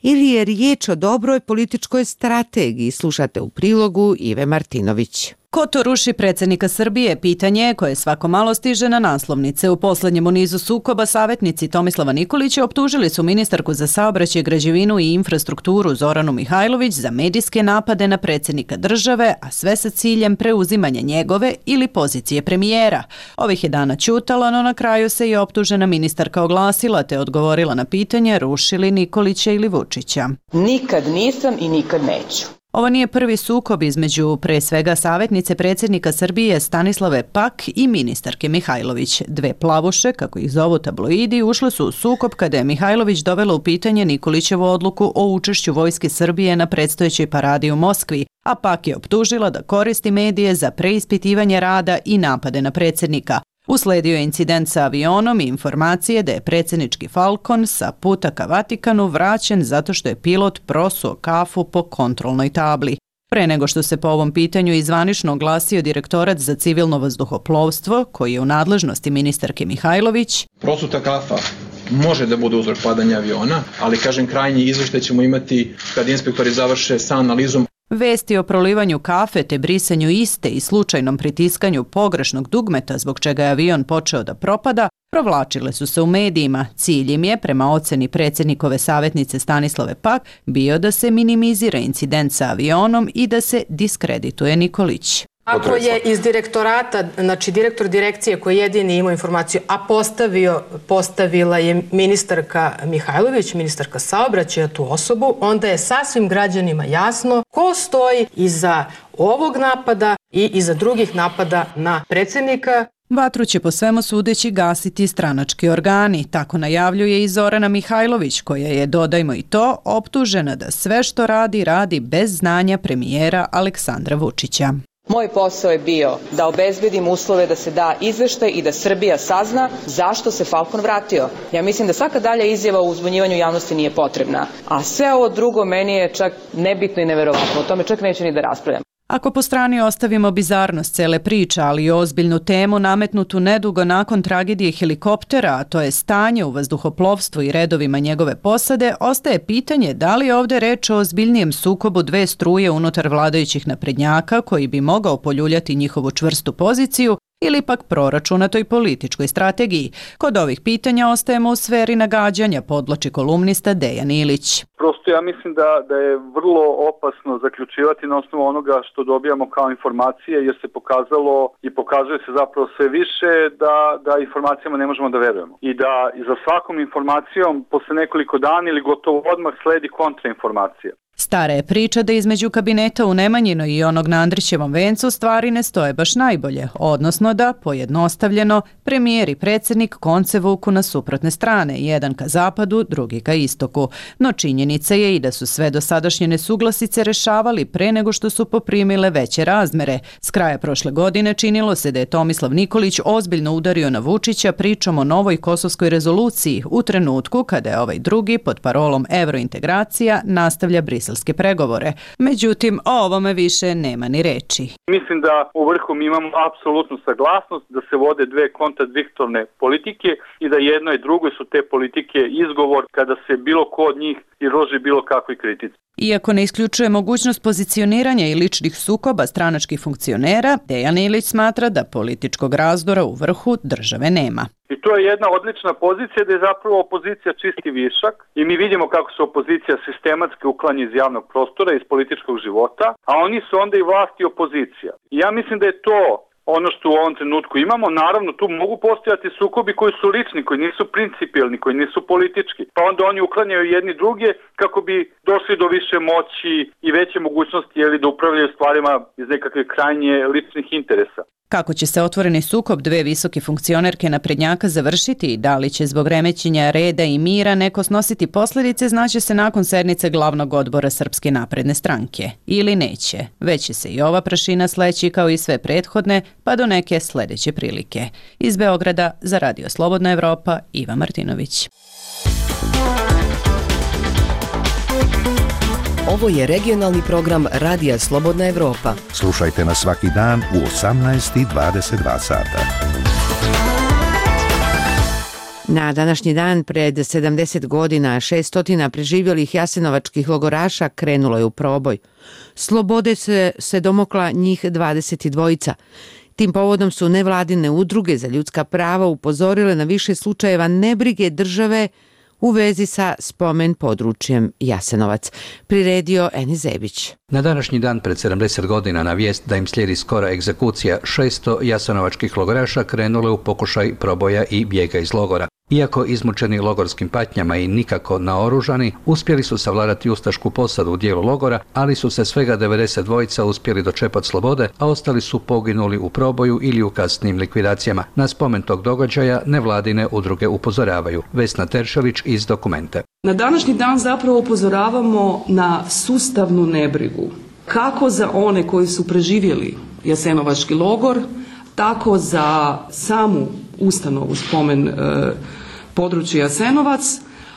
ili je riječ o dobroj političkoj strategiji, slušate u prilogu Ive Martinović. Ko to ruši predsjednika Srbije? Pitanje je koje svako malo stiže na naslovnice. U posljednjem nizu sukoba savjetnici Tomislava Nikolića optužili su ministarku za saobraćaj, građevinu i infrastrukturu Zoranu Mihajlović za medijske napade na predsjednika države, a sve sa ciljem preuzimanja njegove ili pozicije premijera. Ovih je dana ćutala, no na kraju se i optužena ministarka oglasila te odgovorila na pitanje rušili Nikolića ili Vučića. Nikad nisam i nikad neću. Ovo nije prvi sukob između pre svega savjetnice predsjednika Srbije Stanislave Pak i ministarke Mihajlović. Dve plavuše, kako ih zovu tabloidi, ušle su u sukob kada je Mihajlović dovela u pitanje Nikolićevu odluku o učešću vojske Srbije na predstojećoj paradi u Moskvi, a Pak je optužila da koristi medije za preispitivanje rada i napade na predsjednika. Usledio je incident sa avionom i informacije da je predsjednički Falcon sa puta ka Vatikanu vraćen zato što je pilot prosuo kafu po kontrolnoj tabli. Pre nego što se po ovom pitanju izvanično oglasio direktorat za civilno vazduhoplovstvo, koji je u nadležnosti ministarke Mihajlović, prosuta kafa može da bude uzrok padanja aviona, ali kažem krajnji izveštaj ćemo imati kad inspektori završe sa analizom. Vesti o prolivanju kafe te brisanju iste i slučajnom pritiskanju pogrešnog dugmeta zbog čega je avion počeo da propada, provlačile su se u medijima. Cilj im je, prema oceni predsjednikove savjetnice Stanislave Pak, bio da se minimizira incident sa avionom i da se diskredituje Nikolić. Ako je iz direktorata, znači direktor direkcije koji jedini imao informaciju, a postavio, postavila je ministarka Mihajlović, ministarka saobraćaja, tu osobu, onda je sasvim građanima jasno ko stoji iza ovog napada i iza drugih napada na predsjednika. Vatru će po svemu sudeći gasiti stranački organi, tako najavljuje i Zorana Mihajlović, koja je, dodajmo i to, optužena da sve što radi, radi bez znanja premijera Aleksandra Vučića. Moj posao je bio da obezbedim uslove da se da izveštaj i da Srbija sazna zašto se Falcon vratio. Ja mislim da svaka dalja izjava o uzbunjivanju javnosti nije potrebna, a sve ovo drugo meni je čak nebitno i neverovatno. O tome čak neću ni da raspravljam. Ako po strani ostavimo bizarnost cele priče, ali i ozbiljnu temu nametnutu nedugo nakon tragedije helikoptera, a to je stanje u vazduhoplovstvu i redovima njegove posade, ostaje pitanje da li je ovdje reč o ozbiljnijem sukobu dve struje unutar vladajućih naprednjaka koji bi mogao poljuljati njihovu čvrstu poziciju ili pak proračunatoj političkoj strategiji. Kod ovih pitanja ostajemo u sferi nagađanja, podloči kolumnista Dejan Ilić. Prosto ja mislim da, da je vrlo opasno zaključivati na osnovu onoga što dobijamo kao informacije, jer se pokazalo i pokazuje se zapravo sve više da, da informacijama ne možemo da verujemo. I da za svakom informacijom posle nekoliko dana ili gotovo odmah sledi kontrainformacija. Stara je priča da između kabineta u Nemanjinoj i onog na Andrićevom vencu stvari ne stoje baš najbolje, odnosno da, pojednostavljeno, premijer i predsjednik konce vuku na suprotne strane, jedan ka zapadu, drugi ka istoku. No činjenica je i da su sve dosadašnje nesuglasice rešavali pre nego što su poprimile veće razmere. S kraja prošle godine činilo se da je Tomislav Nikolić ozbiljno udario na Vučića pričom o novoj kosovskoj rezoluciji u trenutku kada je ovaj drugi pod parolom evrointegracija nastavlja briselske mirovske pregovore. Međutim, o ovome više nema ni reči. Mislim da u vrhu mi imamo apsolutnu saglasnost da se vode dve kontradiktorne politike i da jedno i drugo su te politike izgovor kada se bilo ko od njih izloži bilo kakvoj kritici. Iako ne isključuje mogućnost pozicioniranja i ličnih sukoba stranačkih funkcionera, Dejan Ilić smatra da političkog razdora u vrhu države nema. I to je jedna odlična pozicija da je zapravo opozicija čisti višak i mi vidimo kako se opozicija sistematski uklanja iz javnog prostora, iz političkog života, a oni su onda i vlast i opozicija. I ja mislim da je to ono što u ovom trenutku imamo. Naravno, tu mogu postojati sukobi koji su lični, koji nisu principijelni, koji nisu politički. Pa onda oni uklanjaju jedni druge kako bi došli do više moći i veće mogućnosti jeli, da upravljaju stvarima iz nekakve krajnje ličnih interesa. Kako će se otvoreni sukob dve visoke funkcionerke naprednjaka završiti i da li će zbog remećenja reda i mira neko snositi posljedice, znaće se nakon sednice glavnog odbora Srpske napredne stranke. Ili neće. Već će se i ova prašina sleći kao i sve prethodne, pa do neke sljedeće prilike. Iz Beograda za Radio Slobodna Evropa, Iva Martinović. Ovo je regionalni program Radija Slobodna Evropa. Slušajte nas svaki dan u osamnaest i dvadeset dva sata. Na današnji dan pred sedamdeset godina šeststo preživjelih jasenovačkih logoraša krenulo je u proboj. Slobode se, se domokla njih dvadeset dva. Tim povodom su nevladine udruge za ljudska prava upozorile na više slučajeva nebrige države u vezi sa spomen područjem Jasenovac. Priredio Eni Zebić. Na današnji dan pred sedamdeset godina na vijest da im slijedi skora egzekucija šeststo jasenovačkih logoraša krenulo je u pokušaj proboja i bijega iz logora. Iako izmučeni logorskim patnjama i nikako naoružani, uspjeli su savladati ustašku posadu u dijelu logora, ali su se svega devedeset dva uspjeli dočepati slobode, a ostali su poginuli u proboju ili u kasnim likvidacijama. Na spomen tog događaja nevladine udruge upozoravaju. Vesna Teršelić iz Dokumente. Na današnji dan zapravo upozoravamo na sustavnu nebrigu. Kako za one koji su preživjeli jasenovački logor, tako za samu ustanovu spomen e, područja Jasenovac,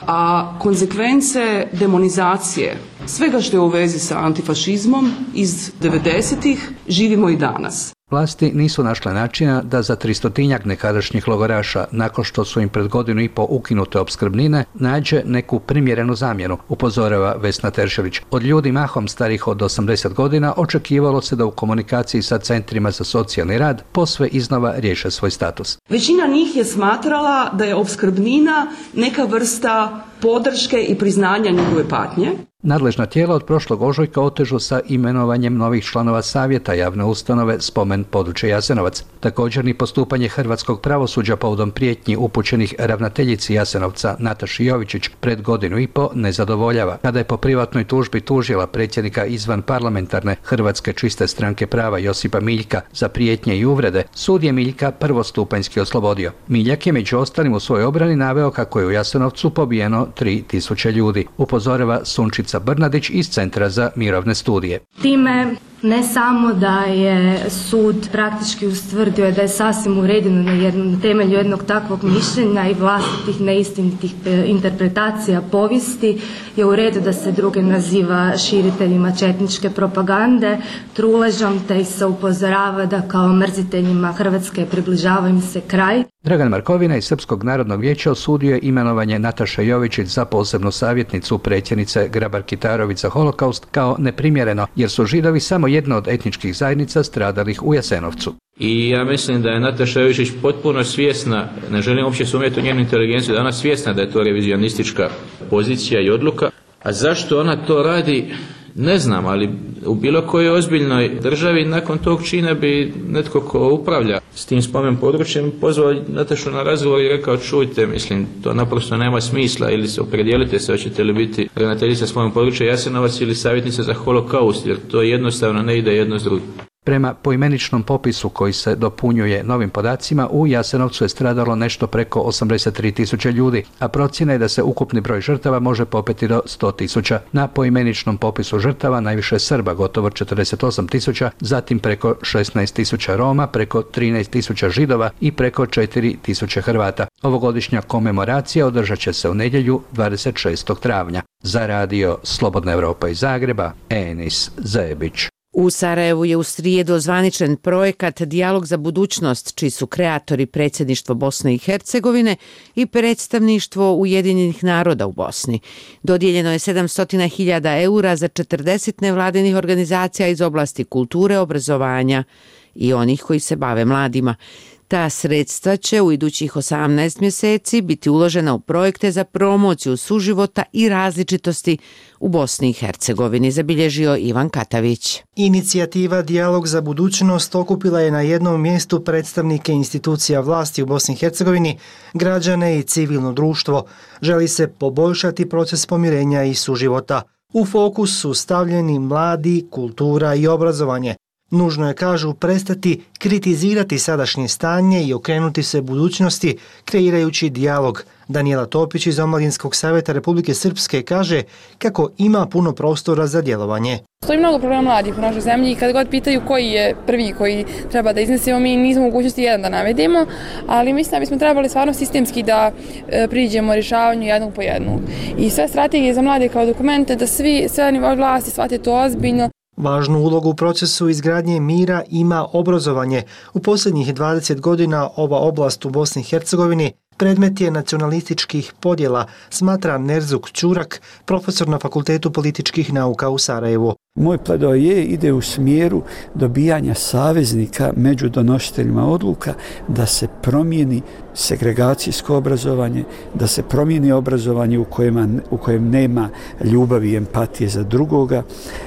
a konzekvence demonizacije svega što je u vezi sa antifašizmom iz devedesetih živimo i danas. Vlasti nisu našle načina da za tristotinjak nekadašnjih logoraša, nakon što su im pred godinu i po ukinute opskrbnine, nađe neku primjerenu zamjenu, upozorava Vesna Teršelić. Od ljudi mahom starih od osamdeset godina očekivalo se da u komunikaciji sa centrima za socijalni rad posve iznova riješe svoj status. Većina njih je smatrala da je opskrbnina neka vrsta podrške i priznanja njihove patnje. Nadležna tijela od prošlog ožujka otežu sa imenovanjem novih članova savjeta javne ustanove spomen područje Jasenovac. Također ni postupanje hrvatskog pravosuđa povodom prijetnji upućenih ravnateljici Jasenovca Nataši Jovičić pred godinu i po ne zadovoljava. Kada je po privatnoj tužbi tužila predsjednika izvan parlamentarne Hrvatske čiste stranke prava Josipa Miljka za prijetnje i uvrede, sud je Miljka prvostupanjski oslobodio. Miljak je među ostalim u svojoj obrani naveo kako je u Jasenovcu pobijeno tri tisuće ljudi. Upozorava Sunčica Brnadić iz Centra za mirovne studije. Time ne samo da je sud praktički ustvrdio da je sasvim uredeno na, jednom, na temelju jednog takvog mišljenja i vlastitih neistinitih interpretacija povijesti je u redu da se druge naziva širiteljima četničke propagande, truležom, te ih se upozorava da kao mrziteljima Hrvatske približava im se kraj. Dragan Markovina iz Srpskog narodnog vijeća osudio je imenovanje Nataše Jovičić za posebnu savjetnicu predsjednice Grabar-Kitarović za holokaust kao neprimjereno, jer su Židovi samo jedna od etničkih zajednica stradalih u Jasenovcu. I ja mislim da je Nataša Jovičić potpuno svjesna, ne želim uopće sumnjati u njenu inteligenciju, da ona svjesna da je to revizionistička pozicija i odluka. A zašto ona to radi? Ne znam, ali u bilo kojoj ozbiljnoj državi nakon tog čina bi netko ko upravlja s tim spomen područjem pozvao Natašu na razgovor i rekao čujte, mislim, to naprosto nema smisla, ili se opredijelite se, hoćete li biti ravnateljica spomen područja Jasenovac ili savjetnica za holokaust, jer to jednostavno ne ide jedno s drugim. Prema poimeničnom popisu koji se dopunjuje novim podacima, u Jasenovcu je stradalo nešto preko osamdeset tri tisuće ljudi, a procjena je da se ukupni broj žrtava može popeti do sto tisuća. Na poimeničnom popisu žrtava najviše Srba, gotovo četrdeset osam tisuća, zatim preko šesnaest tisuća Roma, preko trinaest tisuća Židova i preko četiri tisuće Hrvata. Ovogodišnja komemoracija održat će se u nedjelju dvadeset šestog travnja. Za radio Slobodna Evropa iz Zagreba, Enis Zebić. U Sarajevu je u srijedu ozvaničen projekat Dijalog za budućnost, čiji su kreatori predsjedništvo Bosne i Hercegovine i predstavništvo Ujedinjenih naroda u Bosni. Dodijeljeno je sedamsto hiljada eura za četrdeset nevladinih organizacija iz oblasti kulture, obrazovanja i onih koji se bave mladima. Ta sredstva će u idućih osamnaest mjeseci biti uložena u projekte za promociju suživota i različitosti u Bosni i Hercegovini, zabilježio Ivan Katavić. Inicijativa Dijalog za budućnost okupila je na jednom mjestu predstavnike institucija vlasti u Bosni i Hercegovini, građane i civilno društvo. Želi se poboljšati proces pomirenja i suživota. U fokus su stavljeni mladi, kultura i obrazovanje. Nužno je, kažu, prestati kritizirati sadašnje stanje i okrenuti se budućnosti kreirajući dijalog. Danijela Topić iz Omladinskog savjeta Republike Srpske kaže kako ima puno prostora za djelovanje. Stoji mnogo problema mladih u našoj zemlji i kad god pitaju koji je prvi koji treba da iznesemo, mi nismo mogućnosti jedan da navedemo, ali mislim da bismo trebali stvarno sistemski da e, priđemo rješavanju jednog po jednog. I sve strategije za mlade kao dokumente da svi, sve nivoje vlasti shvate to ozbiljno. Važnu ulogu u procesu izgradnje mira ima obrazovanje. U posljednjih dvadeset godina ova oblast u Bosni i Hercegovini predmet je nacionalističkih podjela, smatra Nerzuk Ćurak, profesor na Fakultetu političkih nauka u Sarajevu. Moj pledoaje ide u smjeru dobijanja saveznika među donositeljima odluka da se promijeni segregacijsko obrazovanje, da se promijeni obrazovanje u kojem, u kojem nema ljubavi i empatije za drugoga,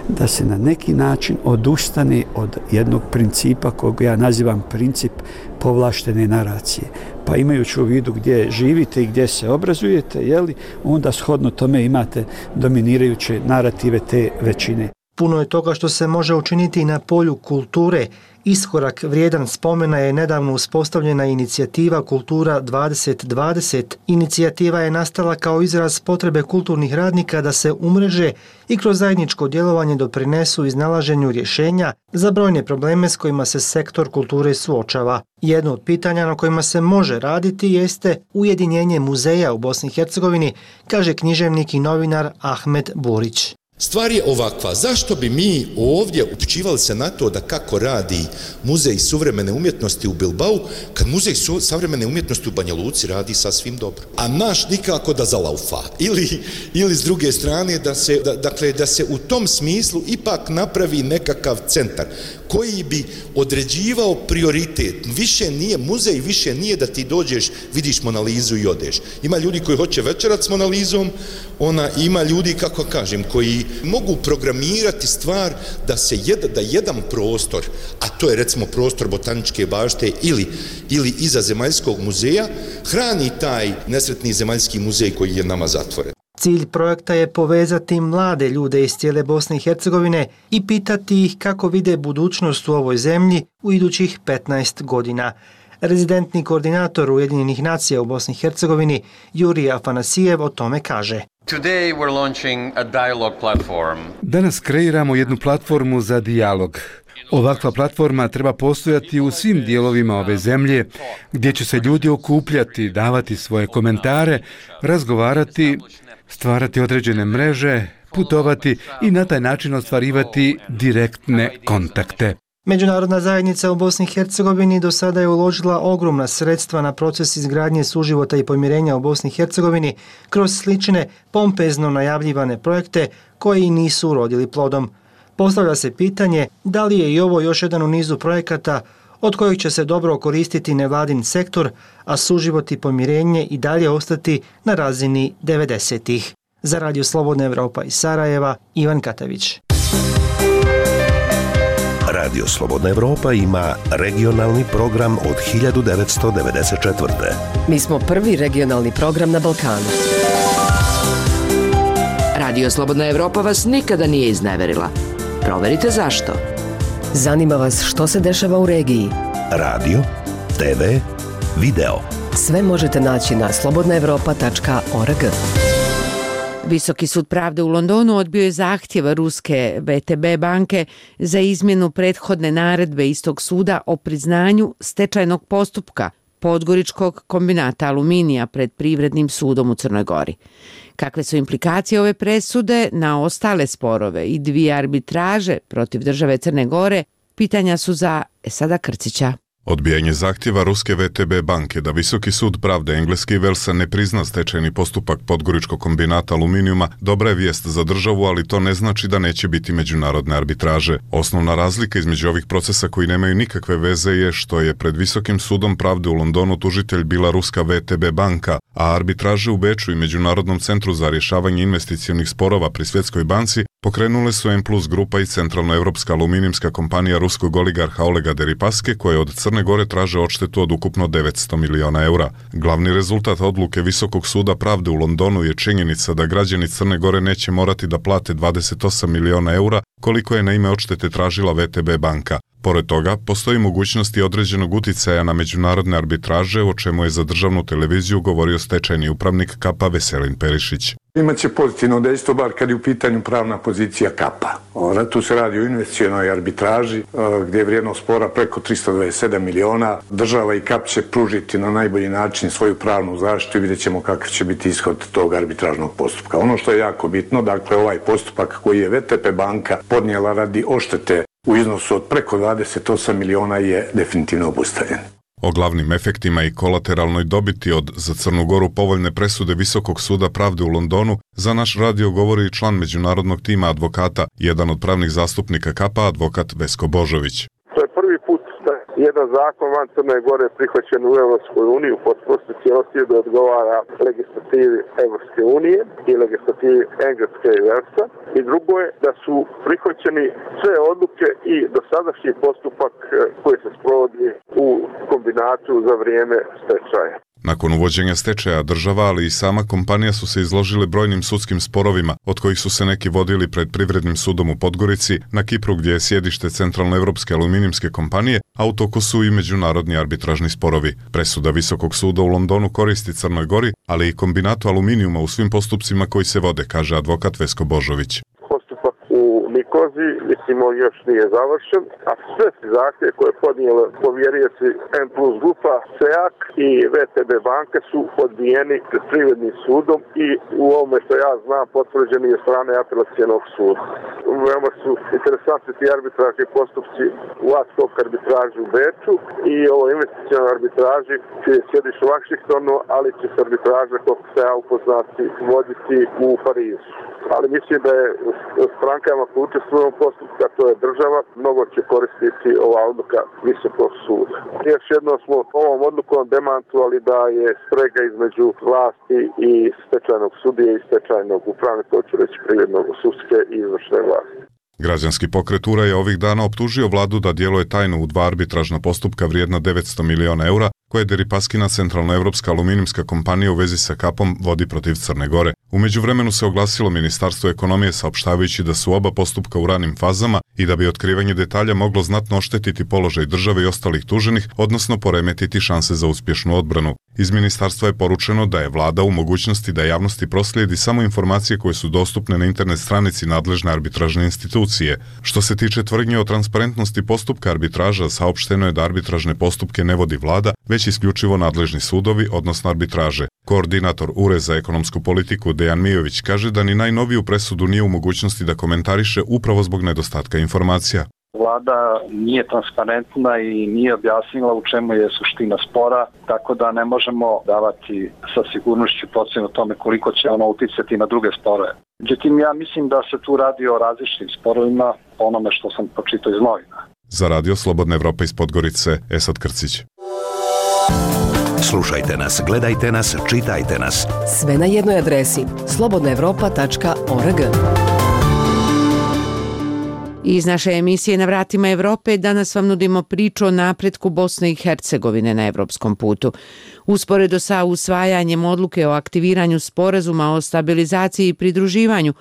da se na neki način odustane od jednog principa kog ja nazivam princip povlaštene naracije. Pa imajući u vidu gdje živite i gdje se obrazujete, jeli, onda shodno tome imate dominirajuće narative te većine. Puno je toga što se može učiniti na polju kulture. Iskorak vrijedan spomena je nedavno uspostavljena inicijativa Kultura dvadeset dvadeset. Inicijativa je nastala kao izraz potrebe kulturnih radnika da se umreže i kroz zajedničko djelovanje doprinesu iznalaženju rješenja za brojne probleme s kojima se sektor kulture suočava. Jedno od pitanja na kojima se može raditi jeste ujedinjenje muzeja u Bosni i Hercegovini, kaže književnik i novinar Ahmed Burić. Stvar je ovakva, zašto bi mi ovdje upućivali se na to da kako radi Muzej suvremene umjetnosti u Bilbao, kad Muzej savremene umjetnosti u Banja Luci radi sasvim dobro. A naš nikako da zalaufa. Ili, ili s druge strane da se, da, dakle, da se u tom smislu ipak napravi nekakav centar koji bi određivao prioritet. Više nije muzej, više nije da ti dođeš, vidiš Mona Lizu i odeš. Ima ljudi koji hoće večerat s Mona Lizom, ona ima ljudi, kako kažem, koji mogu programirati stvar da se jed, da jedan prostor, a to je recimo prostor Botaničke bašte ili, ili iza Zemaljskog muzeja, hrani taj nesretni Zemaljski muzej koji je nama zatvoren. Cilj projekta je povezati mlade ljude iz cijele Bosne i Hercegovine i pitati ih kako vide budućnost u ovoj zemlji u idućih petnaest godina. Rezidentni koordinator Ujedinjenih nacija u Bosni i Hercegovini Jurij Afanasijev o tome kaže. Danas kreiramo jednu platformu za dijalog. Ovakva platforma treba postojati u svim dijelovima ove zemlje, gdje će se ljudi okupljati, davati svoje komentare, razgovarati, stvarati određene mreže, putovati i na taj način ostvarivati direktne kontakte. Međunarodna zajednica u Bosni i Hercegovini do sada je uložila ogromna sredstva na proces izgradnje suživota i pomirenja u Bosni i Hercegovini kroz slične pompezno najavljivane projekte koji nisu urodili plodom. Postavlja se pitanje da li je i ovo još jedan u nizu projekata od kojih će se dobro koristiti nevladin sektor, a suživot i pomirenje i dalje ostati na razini devedesetih. Za Radio Slobodna Evropa iz Sarajeva, Ivan Katavić. Radio Slobodna Evropa ima regionalni program od hiljadu devetsto devedeset četvrte. Mi smo prvi regionalni program na Balkanu. Radio Slobodna Evropa vas nikada nije izneverila. Proverite zašto. Zanima vas što se dešava u regiji? Radio, te ve, video. Sve možete naći na slobodna evropa tačka org. Visoki sud pravde u Londonu odbio je zahtjev ruske ve te be banke za izmjenu prethodne naredbe istog suda o priznanju stečajnog postupka Podgoričkog kombinata aluminija pred Privrednim sudom u Crnoj Gori. Kakve su implikacije ove presude na ostale sporove i dvije arbitraže protiv države Crne Gore, pitanja su za Esada Krcića. Odbijanje zahtjeva ruske ve te be banke da Visoki sud pravde engleski Velsa ne prizna stečajni postupak Podgoričkog kombinata aluminijuma dobra je vijest za državu, ali to ne znači da neće biti međunarodne arbitraže. Osnovna razlika između ovih procesa koji nemaju nikakve veze je što je pred Visokim sudom pravde u Londonu tužitelj bila ruska ve te be banka, a arbitraže u Beču i Međunarodnom centru za rješavanje investicionih sporova pri Svjetskoj banci pokrenule su M plus grupa i centralnoevropska aluminijska kompanija ruskog oligarha Olega Deripaske, koje od Crne Gore traže odštetu od ukupno devetsto miliona eura. Glavni rezultat odluke Visokog suda pravde u Londonu je činjenica da građani Crne Gore neće morati da plate dvadeset osam miliona eura, koliko je na ime odštete tražila ve te be banka. Pored toga, postoji mogućnosti određenog uticaja na međunarodne arbitraže, o čemu je za državnu televiziju govorio stečajni upravnik Kapa Veselin Perišić. Imaće pozitivno dejstvo, bar kad je u pitanju pravna pozicija Kapa. Tu se radi o investicionoj arbitraži, gdje je vrijednost spora preko tristo dvadeset sedam miliona. Država i Kap će pružiti na najbolji način svoju pravnu zaštitu i vidjet ćemo kakav će biti ishod tog arbitražnog postupka. Ono što je jako bitno, dakle ovaj postupak koji je ve te be banka podnijela radi odštete u iznosu od preko dvadeset osam miliona je definitivno obustavljen. O glavnim efektima i kolateralnoj dobiti od za Crnu Goru povoljne presude Visokog suda pravde u Londonu za naš radio govori i član međunarodnog tima advokata, jedan od pravnih zastupnika Kapa, advokat Vesko Božović. To je prvi put da jedan zakon van Crne Gore prihvaćen u Evropskoj uniji u potpunosti cijelosti da odgovara legislativi Evropske unije i legislativi Engleske i Velsa. I drugo je da su prihvaćeni sve odluke i dosadašnji postupak koji se sprovodi u kombinatu za vrijeme stečaja. Nakon uvođenja stečaja država, ali i sama kompanija su se izložili brojnim sudskim sporovima, od kojih su se neki vodili pred Privrednim sudom u Podgorici, na Kipru gdje je sjedište Centralnoevropske aluminijske kompanije, a u toku su i međunarodni arbitražni sporovi. Presuda Visokog suda u Londonu koristi Crnoj Gori, ali i kombinatu aluminijuma u svim postupcima koji se vode, kaže advokat Vesko Božović. U Nikozi, mislimo, još nije završen, a sve zahtjeve koje je podnijela povjerioci M plus grupa, SEAK i ve te be banke su odbijeni pred Privrednim sudom i u ovome što ja znam potvrđeni je strane apelacijenog suda. Veoma su interesantni ti arbitražni postupci u ad hoc arbitraži u Beču i ovo investicionoj arbitraži čije je sjedište u Vašingtonu, ali će se arbitraža, koliko se ja upoznati, voditi u Parizu. Ali mislim da je strankama koji učestvuju u postupku, a to je država, mnogo će koristiti ova odluka Visokog suda. Još jedno smo ovom odlukom demantovali da je sprega između vlasti i stečajnog sudije i stečajnog upravnika, hoću reći privrednog sudske i izvršne vlasti. Građanski pokret U R A je ovih dana optužio vladu da djeluje tajno u dva arbitražna postupka vrijedna devetsto miliona eura koje Deripaskina centralnoevropska aluminijska kompanija u vezi sa Kapom vodi protiv Crne Gore. U međuvremenu se oglasilo Ministarstvo ekonomije saopštavajući da su oba postupka u ranim fazama i da bi otkrivanje detalja moglo znatno oštetiti položaj države i ostalih tuženih, odnosno poremetiti šanse za uspješnu odbranu. Iz ministarstva je poručeno da je vlada u mogućnosti da javnosti proslijedi samo informacije koje su dostupne na internet stranici nadležne arbitražne institucije. Što se tiče tvrdnje o transparentnosti postupka arbitraža, saopšteno je da arbitražne postupke ne vodi vlada, već isključivo nadležni sudovi, odnosno arbitraže. Koordinator U R E za ekonomsku politiku Dejan Mijović kaže da ni najnoviju presudu nije u mogućnosti da komentariše upravo zbog nedostatka informacija. Vlada nije transparentna i nije objasnila u čemu je suština spora, tako da ne možemo davati sa sigurnošću procjenu o tome koliko će ono uticati na druge sporove. Međutim, ja mislim da se tu radi o različitim sporovima, onome što sam pročitao iz novina. Za radio Slobodna Evropa iz Podgorice, Esad Krcić. Slušajte nas, gledajte nas, čitajte nas. Sve na jednoj adresi slobodna evropa tačka org. Iz naše emisije Na vratima Evrope danas vam nudimo priču o napretku Bosne i Hercegovine na evropskom putu. Usporedo sa usvajanjem odluke o aktiviranju sporazuma o stabilizaciji i pridruživanju,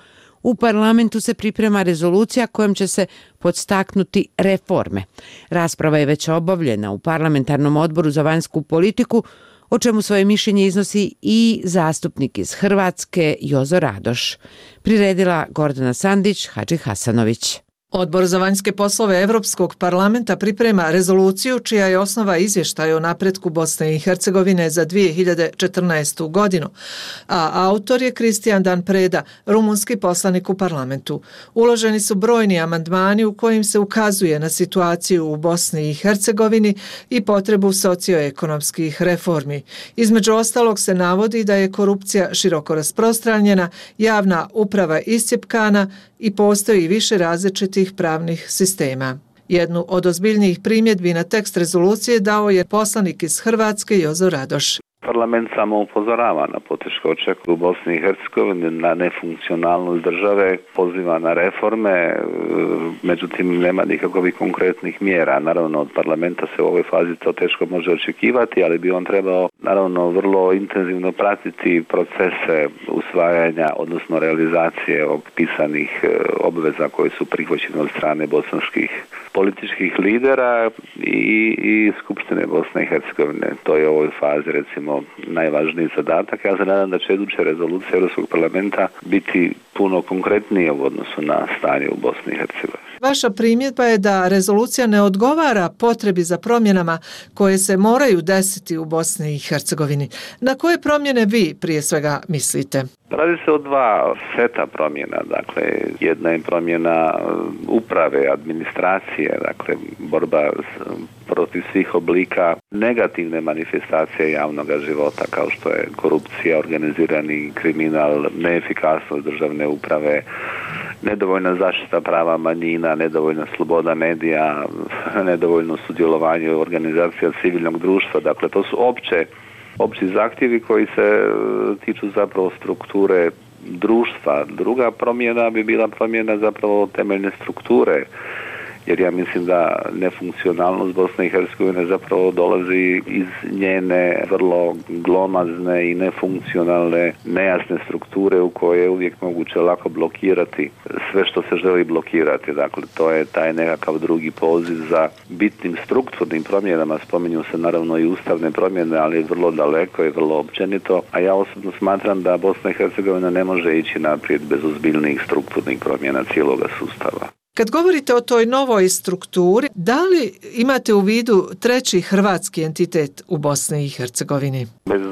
U parlamentu se priprema rezolucija kojom će se podstaknuti reforme. Rasprava je već obavljena u parlamentarnom odboru za vanjsku politiku, o čemu svoje mišljenje iznosi i zastupnik iz Hrvatske Jozo Radoš. Priredila Gordana Sandić, Hadži Hasanović. Odbor za vanjske poslove Europskog parlamenta priprema rezoluciju čija je osnova izvještaj o napretku Bosne i Hercegovine za dvije hiljade četrnaestu. godinu, a autor je Kristijan Dan Preda, rumunski poslanik u parlamentu. Uloženi su brojni amandmani u kojim se ukazuje na situaciju u Bosni i Hercegovini i potrebu socioekonomskih reformi. Između ostalog se navodi da je korupcija široko rasprostranjena, javna uprava iscjepkana i postoji više različitih pravnih sistema. Jednu od ozbiljnijih primjedbi na tekst rezolucije dao je poslanik iz Hrvatske Jozo Radoš. Parlament samo upozorava na poteškoće u Bosni i Hercegovini, na nefunkcionalnost države, poziva na reforme, međutim nema nikakvih konkretnih mjera. Naravno od parlamenta se u ovoj fazi to teško može očekivati, ali bi on trebao naravno vrlo intenzivno pratiti procese usvajanja, odnosno realizacije opisanih obveza koje su prihvaćene od strane bosanskih političkih lidera i, i Skupštine Bosne i Hercegovine. To je u ovoj fazi recimo najvažniji zadatak. Ja se nadam da će iduća rezolucija Europskog parlamenta biti puno konkretnije u odnosu na stanje u Bosni i Hercegovini. Vaša primjedba je da rezolucija ne odgovara potrebi za promjenama koje se moraju desiti u Bosni i Hercegovini. Na koje promjene vi prije svega mislite? Radi se o dva seta promjena. Dakle, jedna je promjena uprave, administracije, dakle, borba protiv svih oblika negativne manifestacije javnog života, kao što je korupcija, organizirani kriminal, neefikasnost državne uprave, nedovoljna zaštita prava manjina, nedovoljna sloboda medija, nedovoljno sudjelovanje u organizacija civilnog društva. Dakle, to su opće, opći zahtjevi koji se tiču zapravo strukture društva. Druga promjena bi bila promjena zapravo temeljne strukture, jer ja mislim da nefunkcionalnost Bosne i Hercegovine zapravo dolazi iz njene vrlo glomazne i nefunkcionalne, nejasne strukture u koje je uvijek moguće lako blokirati sve što se želi blokirati. Dakle, to je taj nekakav drugi poziv za bitnim strukturnim promjenama. Spominju se naravno i ustavne promjene, ali vrlo daleko i vrlo općenito. A ja osobno smatram da Bosna i Hercegovina ne može ići naprijed bez ozbiljnih strukturnih promjena cijeloga sustava. Kad govorite o toj novoj strukturi, da li imate u vidu treći hrvatski entitet u Bosni i Hercegovini? Bez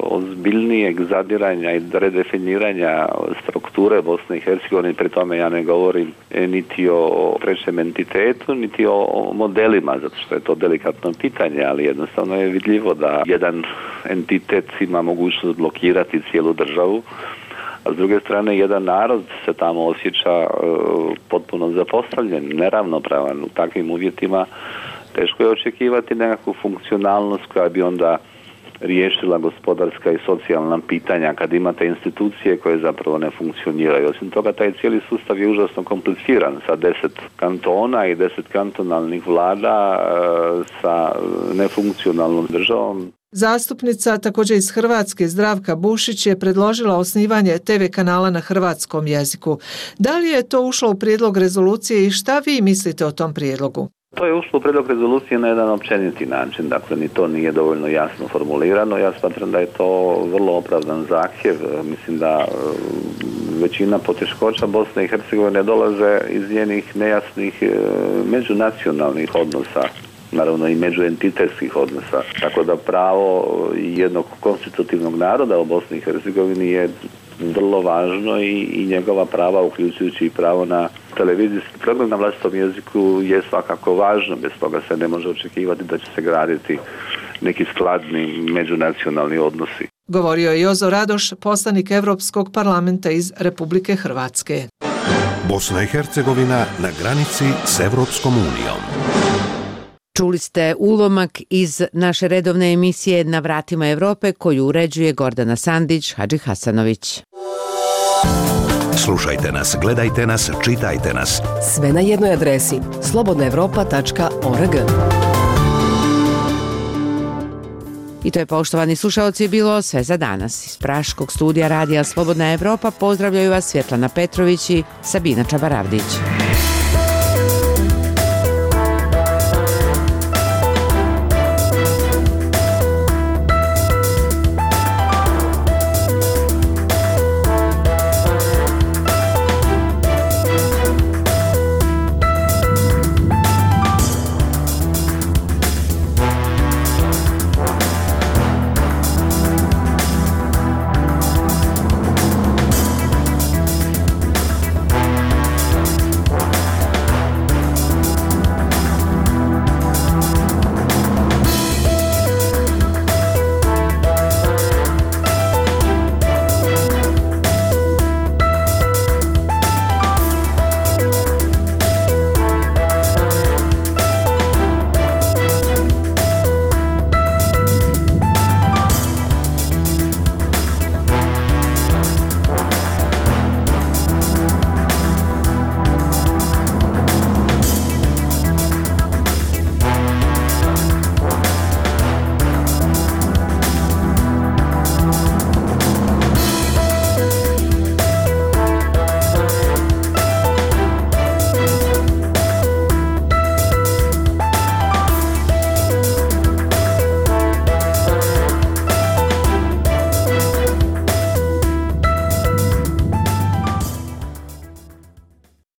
ozbiljnijeg zadiranja i redefiniranja strukture Bosne i Hercegovine, pri tome ja ne govorim niti o trećem entitetu, niti o modelima, zato što je to delikatno pitanje, ali jednostavno je vidljivo da jedan entitet ima mogućnost blokirati cijelu državu, a s druge strane jedan narod se tamo osjeća uh, potpuno zapostavljen, neravnopravan. U takvim uvjetima teško je očekivati nekakvu funkcionalnost koja bi onda riješila gospodarska i socijalna pitanja kad imate institucije koje zapravo ne funkcioniraju. Osim toga, taj cijeli sustav je užasno kompliciran sa deset kantona i deset kantonalnih vlada uh, sa nefunkcionalnom državom. Zastupnica također iz Hrvatske Zdravka Bušić je predložila osnivanje te ve kanala na hrvatskom jeziku. Da li je to ušlo u prijedlog rezolucije i šta vi mislite o tom prijedlogu? To je ušlo u prijedlog rezolucije na jedan općeniti način, dakle ni to nije dovoljno jasno formulirano. Ja smatram da je to vrlo opravdan zahtjev. Mislim da većina poteškoća Bosne i Hercegovine dolaze iz njenih nejasnih međunacionalnih odnosa, naravno i međuentitetskih odnosa. Tako da pravo jednog konstitutivnog naroda u Bosni i Hercegovini je vrlo važno i, i njegova prava, uključujući i pravo na televizijski program na vlastitom jeziku, je svakako važno. Bez toga se ne može očekivati da će se graditi neki skladni međunacionalni odnosi. Govorio je Jozo Radoš, poslanik Europskog parlamenta iz Republike Hrvatske. Bosna i Hercegovina na granici s Evropskom unijom. Čuli ste ulomak iz naše redovne emisije Na vratima Evrope koju uređuje Gordana Sandić, Hadži Hasanović. Slušajte nas, gledajte nas, čitajte nas. Sve na jednoj adresi slobodna evropa tačka org. I to je, poštovani slušalci, bilo sve za danas. Iz Praškog studija radija Slobodna Evropa pozdravljaju vas Svjetlana Petrović i Sabina Čabaravdić.